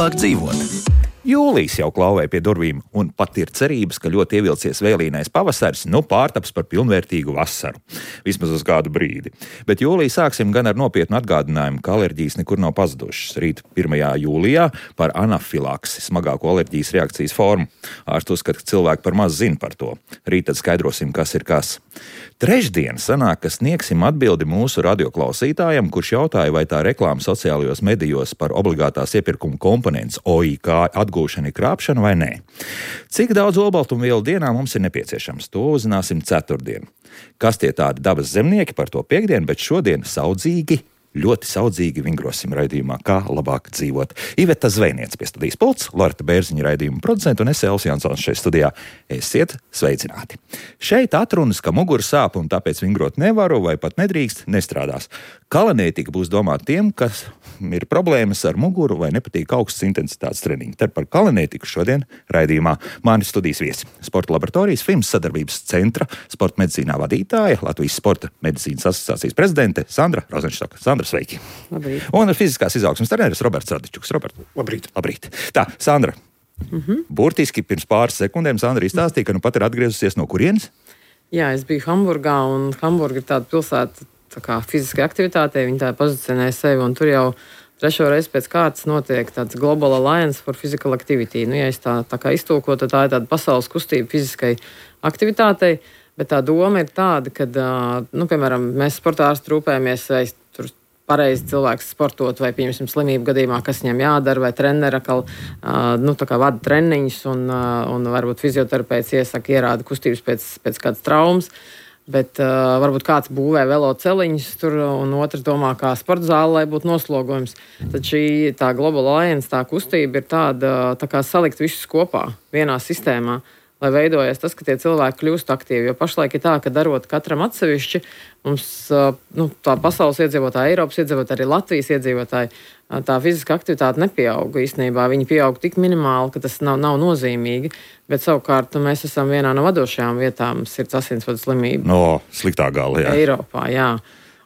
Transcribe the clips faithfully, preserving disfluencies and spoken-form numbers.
labāk dzīvot. Jūlijs jau klauvē pie durvīm, un pat ir cerības, ka ļoti ievilcies vēlīnais pavasaris, nu pārtaps par pilnvērtīgu vasaru. Vismaz uz kādu brīdi. Bet jūliju sāksim gan ar nopietnu atgādinājumu, ka alerģijas nekur nav pazudušas. Rīt pirmajā jūlijā par anafilaksi, smagāko alerģijas reakcijas formu. Ārsti uzskata, ka cilvēki par maz zina par to. Rīt tad skaidrosim, kas ir kas. Trešdien sanāk, ka sniegsim atbildi mūsu radioklausītājam, kurš jautāja, vai tā reklāma sociālajos medijos par obligātās iepirkuma komponents O I K atgūšana ir krāpšana vai nē. Cik daudz olbaltumvielu dienā mums ir nepieciešams? To uzzināsim ceturtdien. Kas tie tādi dabas zemnieki par to piekdienu, bet šodien saudzīgi, ļoti saudzīgi vingrosim raidījumā, kā labāk dzīvot. Iveta Zvejniece pie studijas pults, Loreta Bērziņa raidījuma producenta un es Elvis Jansons šeit studijā. Esiet sveicināti. Šeit atrunas, ka mugura sāp un tāpēc vingrot nevaru vai pat nedrīkst, nestrādās. Kalanētika būs domāta tiem, kas ir problēmas ar muguru vai nepatīk augstas intensitātes treniņi. Tad par kalanētiku šodien raidījumā mani studijas viesi. Sporta laboratorijas Fims sadarbības centra sporta medicīnā vadītāja, Latvijas sporta medicīnas asociācijas prezidente Sandra Rozenštoka. Sandra, sveiki. Labrīt. Un fiziskās izaugsmes treneris Roberts Radičuks. Robert. Labrīt. Labrīt. Tā, Sandra. Mhm. Burtiski pirms pāris sekundēm Sandra izstāstīja, ka nu pat ir atgriezusies no kurienes? Jā, es biju Hamburgā, un Hamburga ir tāda pilsēta, tā kā fiziskai aktivitātei, viņi tā pozicionē sevi, un tur jau trešo reizi pēc kārtas notiek tāds Global Alliance for Physical Activity. Nu, ja es tā, tā kā iztulko, tad tā ir tāda pasaules kustība fiziskai aktivitātei, bet tā doma ir tāda, ka, nu, piemēram, mēs sportārsti rūpējamies, vai tur pareizi cilvēks sportot, vai, pieņemsim, slimību gadījumā, kas viņam jādara, vai treneri atkal, nu, tā kā vada treniņus, un, un varbūt fizioterapeits iesaka ierāda kustības pēc, pēc kādas traumas. Bet uh, varbūt kāds būvē veloceliņus tur, un otrs domā, kā sporta zāle, lai būtu noslogojums. Tad šī tā Global Alliance, tā kustība ir tāda, tā kā salikt visus kopā vienā sistēmā, lai veidojas tas, ka tie cilvēki kļūst aktīvi. Jo pašlaik ir tā, ka darot katram atsevišķi, mums uh, nu, tā pasaules iedzīvotāji, Eiropas iedzīvotāji, arī Latvijas iedzīvotāji, uh, tā fiziska aktivitāte nepieauga īstenībā. Viņi pieauga tik minimāli, ka tas nav, nav nozīmīgi. Bet savukārt mēs esam vienā no vadošajām vietām sirds asinsvadu slimību. No sliktā gala, jā. Eiropā, jā.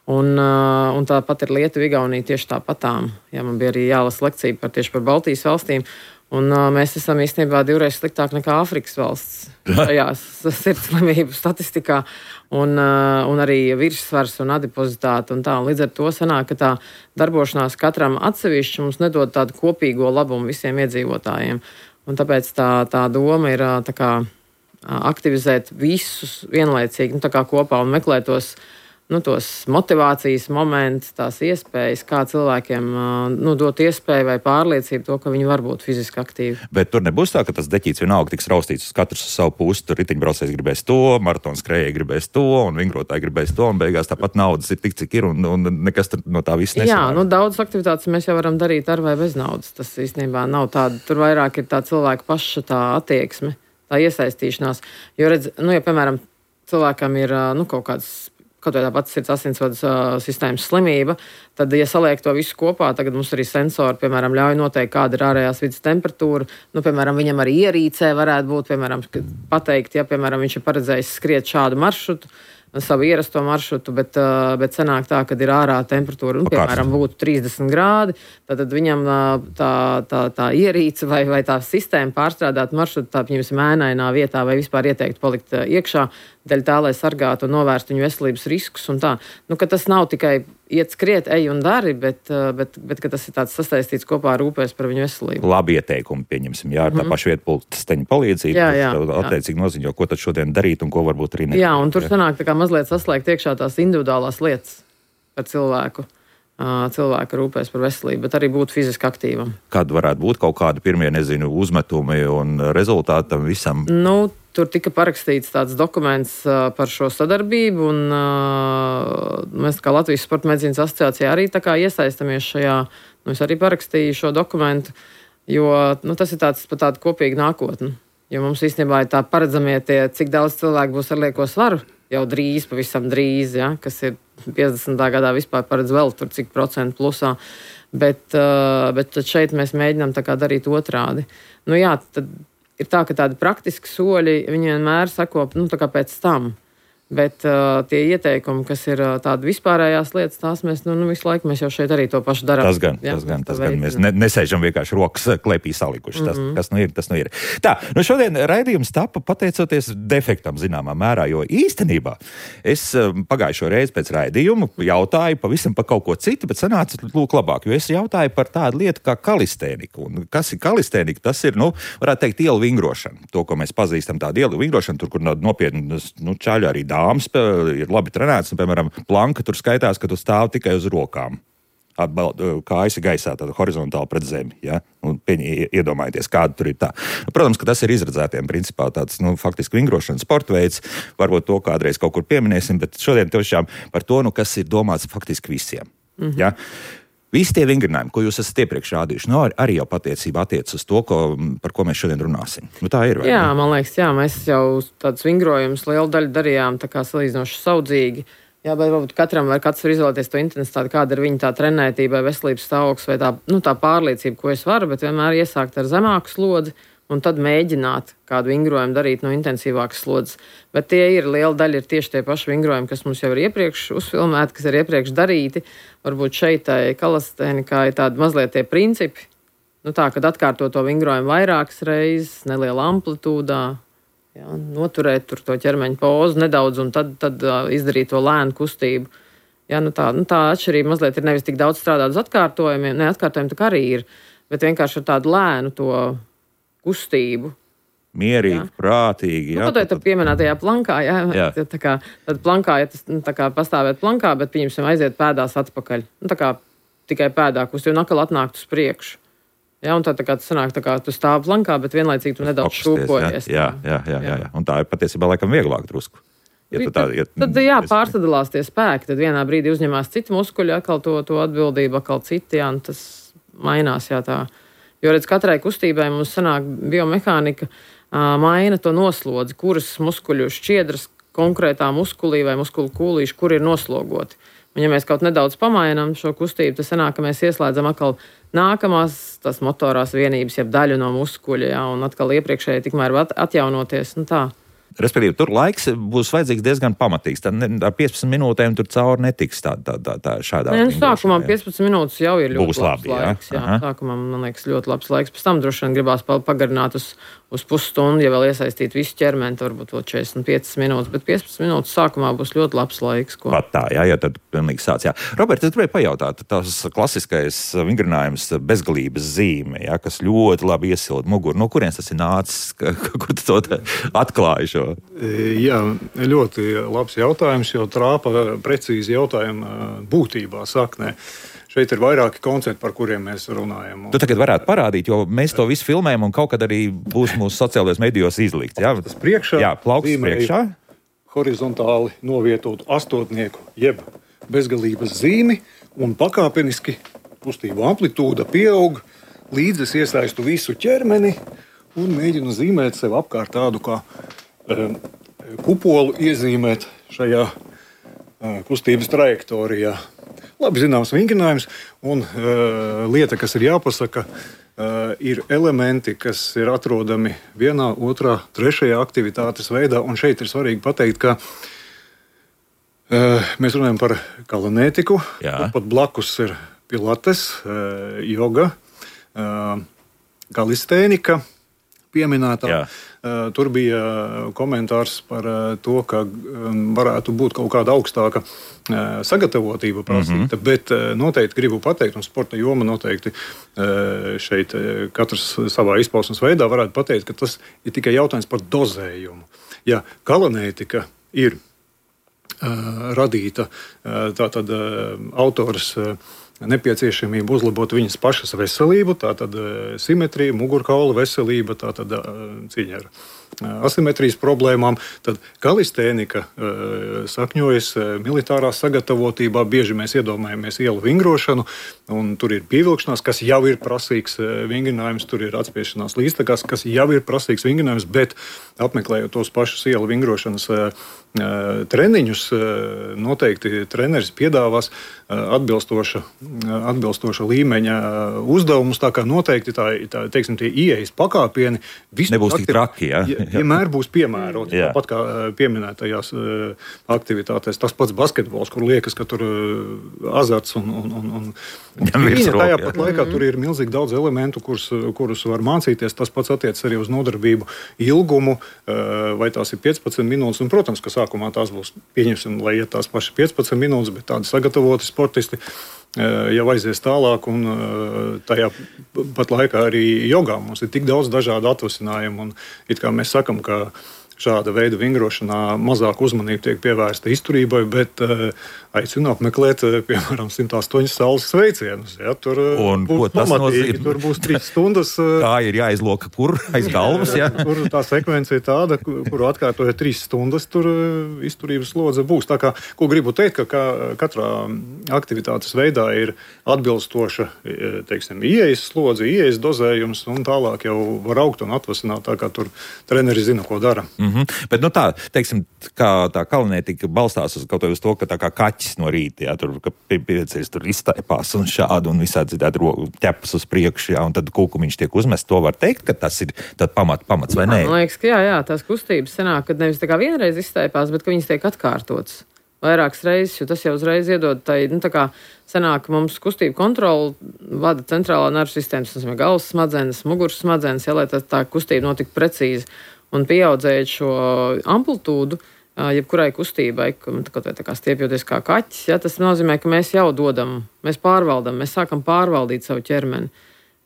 Un, uh, un tāpat ir Lietuva, Igaunija tieši tāpatām. Jā, man bija arī jālasa lekcija par tieši par Baltijas valstīm. Un uh, mēs esam īstenībā divreiz sliktāk nekā Āfrikas valsts šajā sirds slimību statistikā. Un, uh, un arī virssvars un adipozitāte un tā. Un līdz ar to sanāk, ka tā darbošanās katram atsevišķi mums nedod tādu kopīgo labumu visiem iedzīvotājiem. Un tāpēc tā, tā doma ir tā kā, aktivizēt visus vienlaicīgi, nu, tā kā kopā un meklēt tos, nu, tos motivācijas momentus, tās iespējas, kā cilvēkiem nu, dot iespēju vai pārliecību to, ka viņi var būt fiziski aktīvi. Bet tur nebūs tā, ka tas deķīts vienalga tiks raustīts uz katrs uz savu pusi. Tur riteņbraucējs gribēs to, maratons skrējēji gribēs to, un vingrotāji gribēs to, un beigās tāpat naudas ir tik, cik ir, un, un nekas no tā viss nesanāk. Jā, nu daudz aktivitātes mēs jau varam darīt ar vai bez naudas. Tas īstenībā nav tāda, tur vairāk ir tā cilvēka paša tā attieksme, tā iesaistīšanās. Jo redz, nu, ja, piemēram, cilvēkam ir, nu, kaut kāds kaut vai tā pati sirds asinsvadu uh, sistēmas slimība, tad, ja saliek to visu kopā, tagad mums arī sensori, piemēram, ļauj noteikt, kāda ir ārējās vidas temperatūra. Nu, piemēram, viņam arī ierīcē varētu būt, piemēram, pateikt, ja, piemēram, viņš ir paredzējis skriet šādu maršrutu, savu ierasto maršrutu, bet, uh, bet sanāk tā, kad ir ārā temperatūra, un, piemēram, būtu trīsdesmit grādi, tad viņam uh, tā, tā, tā ierīce vai, vai tā sistēma pārstrādāt maršrutu, tā, piemēram, mēnainā vietā vai vispār ieteikt palikt uh, iekšā, dēļ tā, lai sargātu un novērstu viņu veselības riskus un tā. Nu, ka tas nav tikai iet skriet, ej un dari, bet, bet, bet ka tas ir tāds sasaistīts kopā ar rūpēs par viņu veselību. Labi ieteikumi, pieņemsim, jā, ar tā mm. paša vietpulksteņa palīdzību. Jā, jā. Attiecīgi noziņo, ko tad šodien darīt un ko varbūt arī ne. Jā, un tur sanāk tā kā mazliet saslēgt iekšā tās individuālās lietas par cilvēku. Cilvēka rūpēs par veselību, bet arī būt fiziski aktīvam. Kad varētu būt kaut kādi pirmie, nezinu, uzmetumi un rezultāti tam visam? Nu, tur tika parakstīts tāds dokuments uh, par šo sadarbību, un uh, mēs kā Latvijas sporta medicīnas asociācijā arī tā kā iesaistamies šajā, nu, es arī parakstīju šo dokumentu, jo, nu, tas ir tāds par tādu kopīgu nākotni. Jo mums īstenībā ir tā paredzamie tie, cik daudz cilvēku būs ar lieko svaru, jau drīz, pavisam drīz, ja, kas ir piecdesmitā gadā vispār paredz vēl tur cik procentu plusā, bet, uh, bet šeit mēs mēģinām tā kā darīt otrādi. Nu jā, tad ir tā, ka tādi praktiski soļi, viņi vienmēr sako, nu tā kā pēc tam. Bet uh, tie ieteikumi, kas ir uh, tādi vispārējās lietas, tās mēs nu, nu, visu laiku mēs jau šeit arī to pašu darām. Tas gan, jā, tas gan, tas gan. Mēs ne, nesēžam vienkārši rokas klēpī salikuši. Tas, mm-hmm. kas nu ir, tas nu ir. Tā, nu šodien raidījums tapa pateicoties defektam zināmā mērā, jo īstenībā es pagājušo reizi pēc raidījumu jautāju pavisam par kaut ko citu, bet sanāca lūk labāk, jo es jautāju par tādu lietu kā kalistēniku. Un kas ir kalistēnika? Tas ir, nu, varētu teikt, ielu vingrošana. To, ko mēs pazīstam, tādu ielu vingrošanu, tur, kur nopietni, nu, čaļi arī dāmas ir labi trenēts, un, piemēram, planka tur skaitās, ka tu stāv tikai uz rokām. Kājas ir gaisā, tāda horizontāli pret zemi, ja? Un pieņi, iedomājieties, kāda tur ir tā. Protams, ka tas ir izredzētiem principā tāds, nu, faktiski vingrošanas sporta veids, varbūt to kādreiz kaut kur pieminēsim, bet šodien tiešām par to, nu, kas ir domāts faktiski visiem, mm-hmm. ja? Visi tie vingrinājumi, ko jūs esat iepriekš rādījuši, nu, arī jau patiecībā attiec uz to, ko, par ko mēs šodien runāsim. Nu, tā ir, vai? Jā, man liekas, jā, mēs jau tādus vingrojumus lielu daļu darījām tā kā salīdzinoši saudzīgi. Jā, bet varbūt katram var katrs var izvēlēties to intensitāti, kāda ir viņa tā trenētība, veselības stāvoklis vai tā, nu, tā pārliecība, ko es varu, bet vienmēr iesākt ar zemāku slodzi un tad mēģināt kādu vingrojumu darīt no intensīvākas slodzes. Bet tie ir liela daļa, ir tieši tie paši vingrojumi, kas mums jau ir iepriekš uzfilmēti, kas ir iepriekš darīti. Varbūt šeit tai kalistēnikā ir tādi mazliet tie principi, nu tā, kad atkārto to vingrojumu vairākas reizes, nelielā amplitūdā, jā, noturēt tur to ķermeņa pozu nedaudz un tad, tad uh, izdarīt to lēnu kustību. Jā, nu tā, nu tā atšķirība mazliet ir nevis tik daudz strādāt uz atkārtojumiem, ne atkārtojumi tā arī ir, bet vienkārši ar tādu lēnu to kustību. Mierīgi, jā. Prātīgi. Jā, nu, tad, tad pieminētajā plankā, jā. jā. Tā kā, tad plankā, ja tas nu, tā kā pastāvēt plankā, bet pieņemsim aiziet pēdās atpakaļ. Nu, tā kā tikai pēdā kustību un atkal atnākt uz priekšu. Jā, un tad tā kā tu sanāk, tā kā tu stāv plankā, bet vienlaicīgi tu nedaudz šūpojies. Jā, jā, jā, jā, jā. Un tā ir patiesībā laikam vieglāk drusku. Ja tā, ja, tad, jā, pārsadalās tie spēki, tad vienā brīdī uzņemās citi muskuļi, atkal to, to atbildību, atkal citi, jā, un tas mainās, jā, tā. Jo, redz, katrai kustībai mums sanāk biomehānika uh, maina to noslodzi, kuras muskuļu šķiedras konkrētā muskulī vai muskulu kūlīši, kur ir noslogoti. Un, ja mēs kaut nedaudz pamainām šo kustību, tad sanāk, ka mēs ieslēdzam atkal nākamās tās motorās vienības, jeb daļu no muskuļa, jā, un atkal iepriekšēji tikmēr var atjaunoties, nu tā. Respektīvi, tur laiks būs vajadzīgs diezgan pamatīgs. Tad ne, ar piecpadsmit minūtēm tur cauri netiks tā, tā, tā, tā šādā. Nē, nu, sākumā piecpadsmit minūtes jau ir ļoti būs labs labi, laiks. Jā. Jā, sākumā, man liekas, ļoti labs laiks. Pēc tam droši vien gribās pagarināt uz, uz pusstundu, ja vēl iesaistīt visu ķermeni, varbūt vēl četrdesmit piecas minūtes, bet piecpadsmit minūtes sākumā būs ļoti labs laiks. Ko... Pat tā, jā, jā, tad pilnīgi sāc, jā. Robert, es gribēju pajautāt, tās klasiskais vingrinājums bezgalības zīme, jā, kas ļoti labi iesilda muguru. No kurienes tas ir nācis? Kur tu to atklāji šo? Jā, ļoti labs jautājums, jo trāpa precīzi jautājuma būtībā saknē. Šeit ir vairāki koncepti, par kuriem mēs runājam. Tu tagad varētu parādīt, jo mēs to visu filmējam un kaut kad arī būs mūsu sociālajos medijos izlikt. Jā, tas priekšā, jā, plauks priekšā. Horizontāli novietotu astotnieku, jeb bezgalības zīmi, un pakāpeniski kustību amplitūda pieaug, līdz es iesaistu visu ķermeni un mēģinu zīmēt sev apkārt tādu kā um, kupolu iezīmēt šajā uh, kustības trajektorijā. Labi zināms vingrinājums, un uh, lieta, kas ir jāpasaka, uh, ir elementi, kas ir atrodami vienā, otrā, trešajā aktivitātes veidā, un šeit ir svarīgi pateikt, ka uh, mēs runājam par kalanētiku, pat blakus ir pilates, uh, joga, uh, kalistēnika pieminētā. Jā. Uh, tur bija komentārs par uh, to, ka um, varētu būt kaut kāda augstāka uh, sagatavotība prasīta, mm-hmm. bet uh, noteikti gribu pateikt, un sporta joma noteikti uh, šeit uh, katrs savā izpausmes veidā varētu pateikt, ka tas ir tikai jautājums par dozējumu. Ja kalanētika ir uh, radīta, uh, tātad uh, autors uh, nepieciešamība uzlabot viņas pašas veselību, tātad simetrija, mugurkaula veselība, tātad cīņa ar asimetrijas problēmām. Tad kalistēnika sakņojas militārā sagatavotībā. Bieži mēs iedomājamies ielu vingrošanu, un tur ir pievilkšanās, kas jau ir prasīgs vingrinājums, tur ir atspiešanās līdztekās, kas jau ir prasīgs vingrinājums, bet apmeklējot tos pašus ielu vingrošanas treniņus noteikti treneris piedāvās atbilstoša, atbilstoša līmeņa uzdevumus. Tā kā noteikti tā, tā, teiksim, tie ieejas pakāpieni nebūs tik traki, ja? Vienmēr būs piemēroti. Tāpat kā pieminētajās aktivitātēs. Tas pats basketbols, kur liekas, ka tur azarts un, un, un, un viņa tajā pat laikā tur ir milzīgi daudz elementu, kurus, kurus var mācīties. Tas pats attiec arī uz nodarbību ilgumu, vai tās ir piecpadsmit minūtes. Un, protams, ka sākumā tās būs, pieņemsim, lai iet tās pašas piecpadsmit minūtes, bet tādi sagatavoti sportisti jau aizies tālāk, un tajā pat laikā arī jogā mums ir tik daudz dažādu atvasinājumu, un it kā mēs sakam, ka šāda veida vingrošanā mazāk uzmanība tiek pievērsta izturībai, bet uh, aicinu apmeklēt, uh, piemēram, simt astoņas saules sveicienus. Ja, tur uh, būs pamatīgi, tur būs trīs stundas. Uh, Tā ir jāizloka, kur aiz galvas, ja? Tur tā sekvence ir tāda, kuru atkārtojot trīs stundas, tur uh, izturības slodze būs. Tā kā, ko gribu teikt, ka kā, katrā aktivitātes veidā ir atbilstoša, teiksim, ieejas slodze, ieejas dozējums, un tālāk jau var augt un atvasināt, tā kā tur treneri zina, ko dara. Mm-hmm. Bet, nu tā, teiksim, kā tā kalinētika balstās uz kaut ko uz to, ka tā kā kaķis no rīta, jā, tur, ka pieceļas tur iztaipās un šādi un visādi citādi ķepas uz priekšu, jā, un tad kūkumiņš tiek uzmests. To var teikt, ka tas ir tad pamat, pamats vai nē? Man liekas, ka jā, jā, tās kustības sanāk, kad nevis tā kā vienreiz iztaipās, bet ka viņas tiek atkārtotas vairākas reizes, jo tas jau uzreiz iedod tai, nu tā kā sanāk, ka mums kustību kontroli vada centrālā nervu sistēmas, tas ir galvas smadzenes, muguras smadzenes, jā, lai tā, tā kustība notika precīzi. Un pieaudzējot šo amplitūdu, jebkurai kustībai, kaut vai tā kā stiepjoties kā kaķis, ja, tas nozīmē, ka mēs jau dodam, mēs pārvaldam, mēs sākam pārvaldīt savu ķermeni.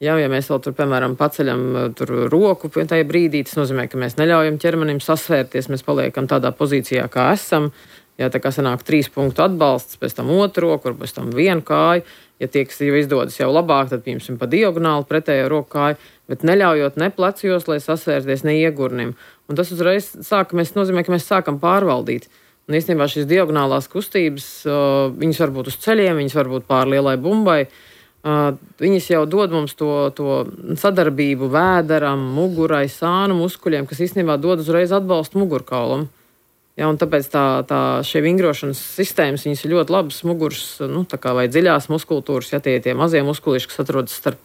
Ja, ja mēs vēl tur, piemēram, paceļam tur roku tajā brīdī, tas nozīmē, ka mēs neļaujam ķermenim sasvērties, mēs paliekam tādā pozīcijā, kā esam. Ja, tā kā sanāk trīs punktu atbalsts, pēc tam otru roku, pēc tam vienu kāju. Ja tie, kas jau izdodas jau labāk, tad, piemēram, pa diagonāli pretējo roku kāju, bet neļaujot ne plecjos, lai sasvērties, ne iegurnim. Un tas uzreiz sāk, mēs nozīmē, ka mēs sākam pārvaldīt. Un īstenībā šīs diagonālās kustības, uh, viņas var būt uz ceļiem, viņas var būt pār lielai bumbai. Uh, viņas jau dod mums to, to sadarbību vēderam, mugurai, sānu muskuļiem, kas īstenībā dod uzreiz atbalstu mugurkaulam. Ja, un tāpēc tā, tā šie vingrošanas sistēmas, viņas ir ļoti labas muguras, nu, tā kā vai dziļās muskultūras, ja tie ir tie mazie muskuliši, kas atrodas starp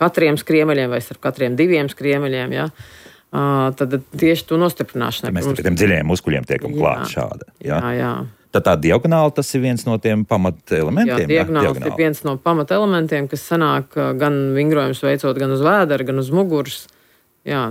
katriem skriemeļiem vai starp katriem diviem skriemeļiem, ja, uh, tad tieši to nostiprināšanai. Mēs pie tiem dziļajiem muskuļiem tiekam klāt šāda. Ja? Jā, jā. Tad tā diagonāli tas ir viens no tiem pamatelementiem? Jā, diagonāli ir viens no pamatelementiem, kas sanāk gan vingrojums veicot gan uz vēdera, gan uz muguras. Jā,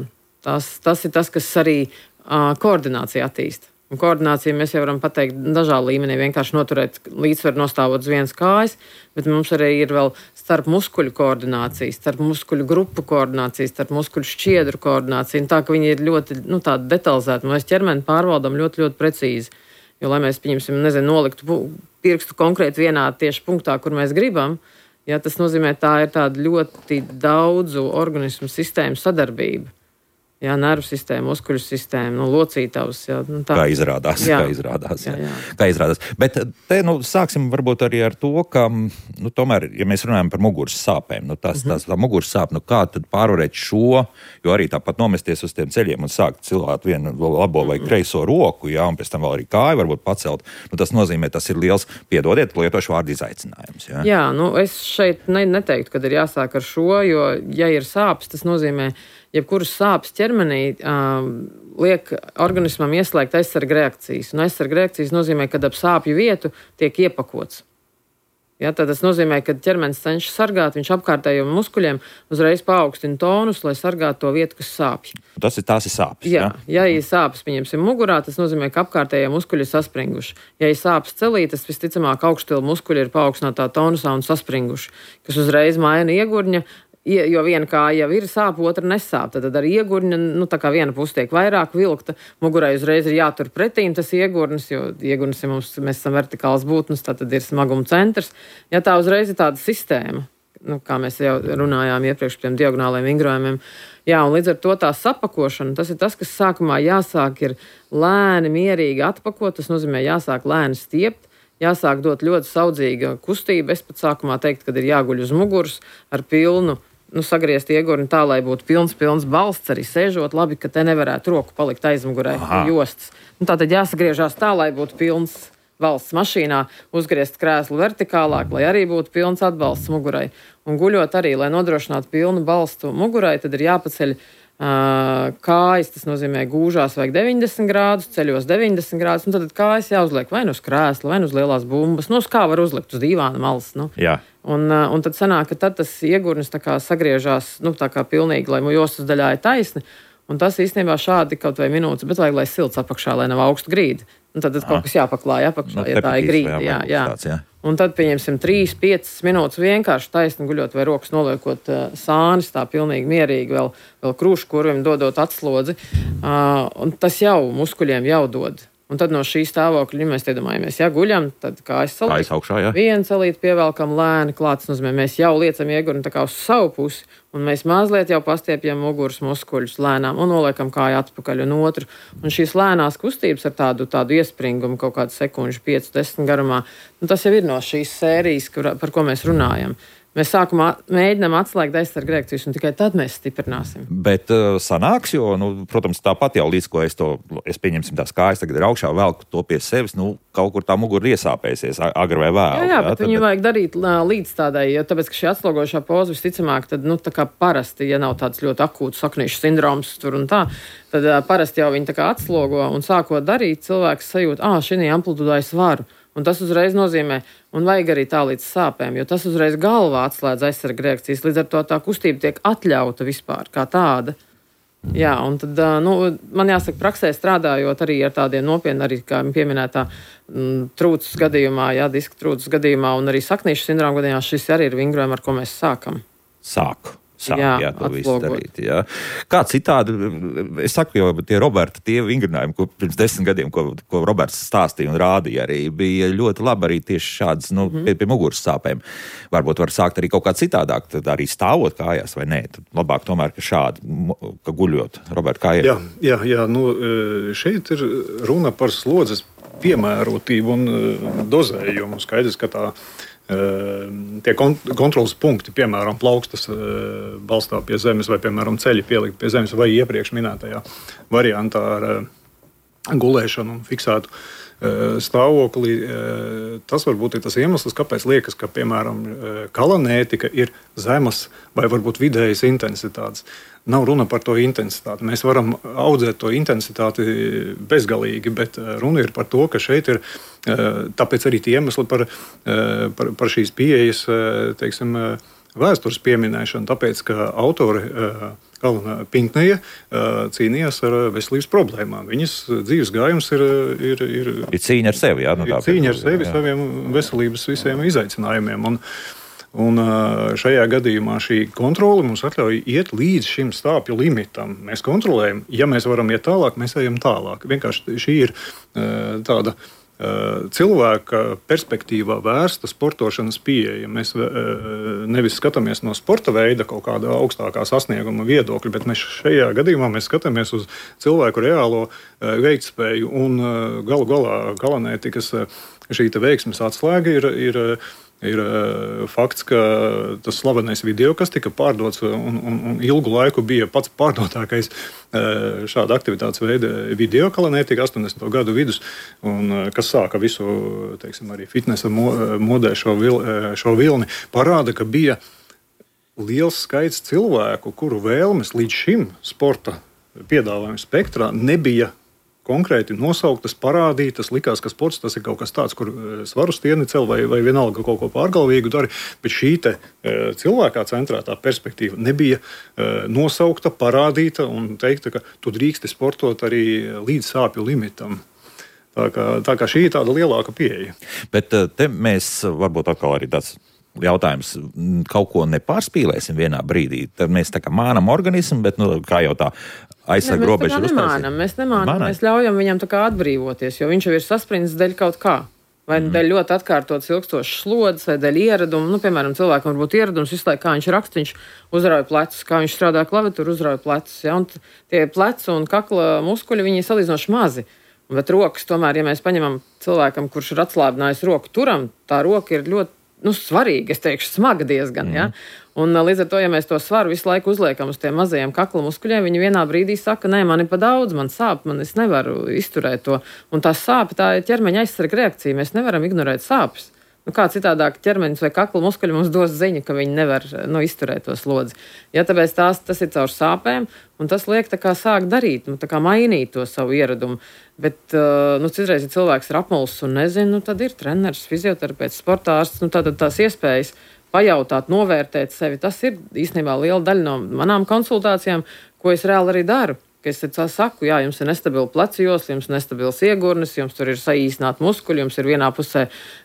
tas, tas ir tas, kas arī uh, koordinācija attīsta. Un koordināciju mēs jau varam pateikt dažādā līmenī, vienkārši noturēt līdzsvaru nostāvot uz vienas kājas, bet mums arī ir vēl starp muskuļu koordinācija, starp muskuļu grupu koordinācija, starp muskuļu šķiedru koordinācija. Un tā, ka viņi ir ļoti nu, detalizēti. Mēs ķermeni pārvaldam ļoti, ļoti precīzi. Jo, lai mēs, pieņemsim, nezinu, noliktu pirkstu konkrēti vienā tieši punktā, kur mēs gribam, ja, tas nozīmē, tā ir tāda ļoti daudzu organismu sistēmu sadarbība. Jā, nervu sistēma, muskuļu sistēma, nu, locītavas. Jā, nu, tā. Kā izrādās, jā. kā izrādās. Jā. Jā, jā. Kā izrādās. Bet te, nu, sāksim varbūt arī ar to, ka, nu, tomēr, ja mēs runājam par muguras sāpēm, nu, tās, mm-hmm. tās tā muguras sāp, nu, kā tad pārvarēt šo, jo arī tāpat nomesties uz tiem ceļiem un sākt cilāt vienu labo vai mm-hmm. kreiso roku, jā, un pēc tam vēl arī kāju varbūt pacelt, nu, tas nozīmē, tas ir liels, piedodiet, lietošu vārdu izaicinājums. Jā, jā nu, es šeit ne, neteiktu, kad ir jāsāk ar šo, jo, ja ir sāpes, tas nozīmē, jebkuras sāpes ķermenī uh, liek organismam ieslēgt aizsarga reakcijas. Un aizsarga reakcijas nozīmē, ka ap sāpju vietu tiek iepakots. Ja, tad tas nozīmē, ka ķermenis cenšas sargāt, viņš apkārtējiem muskuļiem uzreiz paaugstina tonus, lai sargātu to vietu, kas sāpj. Tas ir, tās ir sāpes. Jā, ja, ja ir sāpes, pieņemsim, mugurā, tas nozīmē, ka apkārtējie muskuļi ir saspringuši. Ja ir sāpes celī, tas visticamāk augšstila muskuļi ir paaugstinātā tonusā un saspringuši, kas uzreiz maina iegurņa. Jo viena kāja jau ir sāp, otra nesāp. Tad ar iegurņa, nu tā kā viena puse tiek vairāk vilkta, mugurai uzreiz ir jātur pretīm tas iegurnis, jo iegurnis ir mums, mēs esam vertikāls būtnes, tā tad ir smaguma centrs. Ja tā uzreiz ir tāda sistēma, nu, kā mēs jau runājām iepriekš par tiem diagonāliem vingrojumiem. Jā, un līdz ar to tā sapakošana, tas ir tas, kas sākumā jāsāk ir lēni, mierīgi atpakot, tas nozīmē jāsāk lēni stiept. Jāsāk dot ļoti saudzīga kustība. Es pat sākumā teiktu, kad ir jāguļ uz muguras ar pilnu nu, sagriezt iegurni tā, lai būtu pilns, pilns balsts, arī sēžot labi, ka te nevarētu roku palikt aizmugurē jostas. Nu, tātad jāsagriežās tā, lai būtu pilns valsts mašīnā, uzgriezt krēslu vertikālāk, lai arī būtu pilns atbalsts mugurai. Un guļot arī, lai nodrošinātu pilnu balstu mugurai, tad ir jāpaceļ uh, kājas, tas nozīmē gūžās vajag deviņdesmit grādus, ceļos deviņdesmit grādus, un tad kājas jāuzliek vai nu uz krēsla, vai nu uz lielās bumbas, nu uz kā var uzlikt uz dīvāna malas. Nu. Jā. Un, un tad sanāk, ka tad tas iegurnis tā kā sagriežās, nu tā kā pilnīgi, lai jostas daļā ir taisni, un tas īstenībā šādi kaut vai minūtes, bet vajag, lai silts apakšā, lai nav augstu grīdi. Un tad, tad kaut kas jāpaklāja apakšā, no, ja tā ir grīda. Jā, jā. Tāds, jā. Un tad pieņemsim trīs piecas minūtes vienkārši taisni guļot vai rokas noliekot uh, sānis, tā pilnīgi mierīgi, vēl, vēl krūšu kurvim dodot atslodzi. Uh, un tas jau muskuļiem jau dod. Un tad no šī stāvokļa, ja mēs iedomājamies, ja guļam, tad kājas salīt, viena salīt pievelkam lēni klāt, tas nozīmē, mēs jau liecam iegurni tā kā uz savu pusi, un mēs mazliet jau pastiepjam muguras muskuļus lēnām un noliekam kāju atpakaļ un otru. Un šīs lēnās kustības ar tādu, tādu iespringumu kaut kādu sekundžu, pieci desmit garumā, nu, tas jau ir no šīs sērijas, kur, par ko mēs runājam. Mēs sākumā mēģinām atslēgt aizsargu reakcijas, un tikai tad mēs stiprināsim. Bet uh, sanāks, jo, nu, protams, tāpat jau līdz ko es to, es pieņemsim tās kājas, tagad ir augšā, velku to pie sevis, nu, kaut kur tā mugura iesāpēsies, agri vai vēl. Jā, jā, bet jā, viņu vajag darīt līdz tādai, jo tāpēc, ka šī atslogošā poza visticamāk, tad, nu, tā kā parasti, ja nav tāds ļoti akūts saknīšu sindroms tur un tā, tad uh, parasti jau viņi tā kā atslogo un sākot darīt, cilvēks sajūt, ā, šī amplitūdā es varu. Un tas uzreiz nozīmē, un vajag arī tā līdz sāpēm, jo tas uzreiz galvā atslēdz aizsarga reakcijas, līdz ar to tā kustība tiek atļauta vispār kā tāda. Jā, un tad, nu, man jāsaka, praksē strādājot arī ar tādiem nopietniem, arī, kā pieminētā, m, trūces gadījumā, jā, diska trūces gadījumā, un arī saknīšu sindroma gadījumā, šis arī ir vingrojumi, ar ko mēs sākam. Sāku. Sāk, jā, jā, to visu darīt. Jā. Kā citādi, es saku, jo tie Roberta, tie vingrinājumi, ko pirms desmit gadiem, ko, ko Roberts stāstīja un rādīja, arī bija ļoti labi arī tieši šādas, nu, mm-hmm. pie, pie muguras sāpēm. Varbūt var sākt arī kaut kā citādāk, tad arī stāvot kājās vai nē. Tad labāk tomēr, ka šādi, ka guļot. Roberta, kā ir? Jā, jā, jā, nu, šeit ir runa par slodzes piemērotību un dozējumu. Skaidrs, ka tā tie kontrolas punkti, piemēram, plaukstas balstā pie zemes vai, piemēram, ceļi pielikt pie zemes vai iepriekš minētajā variantā ar gulēšanu un fiksētu stāvoklī. Tas varbūt ir tas iemesls, kāpēc liekas, ka, piemēram, kalanētika ir zemas vai varbūt vidējas intensitātes. Nav runa par to intensitāti. Mēs varam audzēt to intensitāti bezgalīgi, bet runa ir par to, ka šeit ir tāpēc arī tie iemesli par, par, par šīs pieejas, teiksim, vēstures pieminēšanu, tāpēc, ka autori Kalna Pinkneja cīnījās ar veselības problēmām. Viņas dzīves gājums ir... Ir, ir, ir cīņa ar sevi, jā? Nu, ir cīņa ar sevi, jā. Saviem veselības visiem izaicinājumiem. Un, un šajā gadījumā šī kontrole mums atļauj iet līdz šim stāpju limitam. Mēs kontrolējam, ja mēs varam iet tālāk, mēs ejam tālāk. Vienkārši šī ir tāda cilvēka perspektīvā vērsta sportošanas pieeja. Mēs nevis skatāmies no sporta veida kaut kāda augstākā sasnieguma viedokļa, bet mēs šajā gadījumā mēs skatāmies uz cilvēku reālo veiktspēju un galu galā kalanētikas šī veiksmes atslēga ir, ir Ir uh, fakts, ka tas slavenais video, kas tika pārdots un, un, un ilgu laiku bija pats pārdotākais uh, šāda aktivitātes veida video kalanētika astoņdesmito gadu vidus, un uh, kas sāka visu, teiksim, arī fitnesa mo, modē šo, vil, šo vilni, parāda, ka bija liels skaits cilvēku, kuru vēlmes līdz šim sporta piedāvājuma spektrā nebija konkrēti nosauktas, parādītas, likās, ka sports tas ir kaut kas tāds, kur svaru stieni cel vai, vai vienalga kaut ko pārgalvīgu dari, bet šī te cilvēkā centrētā perspektīva nebija nosaukta, parādīta un teikta, ka tu drīksti sportot arī līdz sāpju limitam. Tā kā, tā kā šī ir tāda lielāka pieeja. Bet te mēs varbūt atkal arī tāds jautājums, kaut ko nepārspīlēsim vienā brīdī. Tad mēs tā kā mānam organismu, bet, nu, kā jau tā aizsarga robeža ir uztaisīta. Nemānam, mēs nemānam, mēs ļaujam viņam tā kā atbrīvoties, jo viņš jau ir sasprindzis dēļ kaut kā. Vai mm. dēļ ļoti atkārtotas ilgstošas slodzes, vai dēļ ieradumu. Nu, piemēram, cilvēkam var būt ieradums visu laiku, kā viņš raksta, viņš uzrauj plecus, kā viņš strādā klaviatūru, uzrauj plecus. Ja? Un tie plecu un kakla muskuļi, viņi ir salīdzinoši mazi. Bet rokas tomēr, ja mēs paņemam cilvēkam, kurš ir atslābinājis roku turam, tā roka ir ļoti nu, svarīga, es teikšu, smaga diezgan. Mm. Ja? Un līdz ar to, ja mēs to svaru visu laiku uzliekam uz tiem mazajiem kakla muskuļiem, viņi vienā brīdī saka, nē, man ir pa daudz, man sāp, man es nevaru izturēt to. Un tā sāpe, tā ir ķermeņa aizsarga reakcija, mēs nevaram ignorēt sāpes. Nu, kā citādāk ķermenis vai kakla muskuļi mums dos ziņu, ka viņi nevar nu, izturēt to slodzi. Ja, tāpēc tās, tas ir caur sāpēm, un tas liek tā kā sāk darīt, nu, tā kā mainīt to savu ieradumu. Bet, nu, citreiz, ja cilvēks ir apmulsis un nezina, nu, tad ir treneris, fizioterapeits, sportārsts, nu, tātad tās iespējas pajautāt, novērtēt sevi. Tas ir īstenībā liela daļa no manām konsultācijām, ko es reāli arī daru. Es saku, jā, jums ir nestabila plecu josla, jums ir nestabils iegurnis, jums tur ir saīsināti muskuļi, jums ir vienā pusē,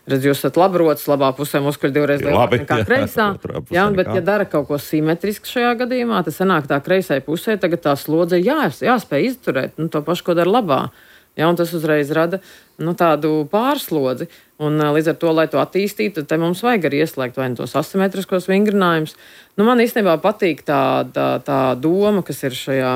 redz, jūs esat labrots, labā pusē muskuļi divreiz lielāki nekā kreisā. Jā, bet, ja dara kaut ko simetrisku šajā gadījumā, tad sanāk tā kreisai pusē, tagad tā slodze jā, jāspēj izturēt, nu, to pašu, ko dara labā. Jā, un tas uzreiz rada nu, tādu pārslodzi. Un, līdz ar to, lai to attīstītu, tad mums vajag arī ieslēgt vai tos asimetriskos vingrinājumus. Nu, man īstenībā patīk tā, tā, tā doma, kas ir šajā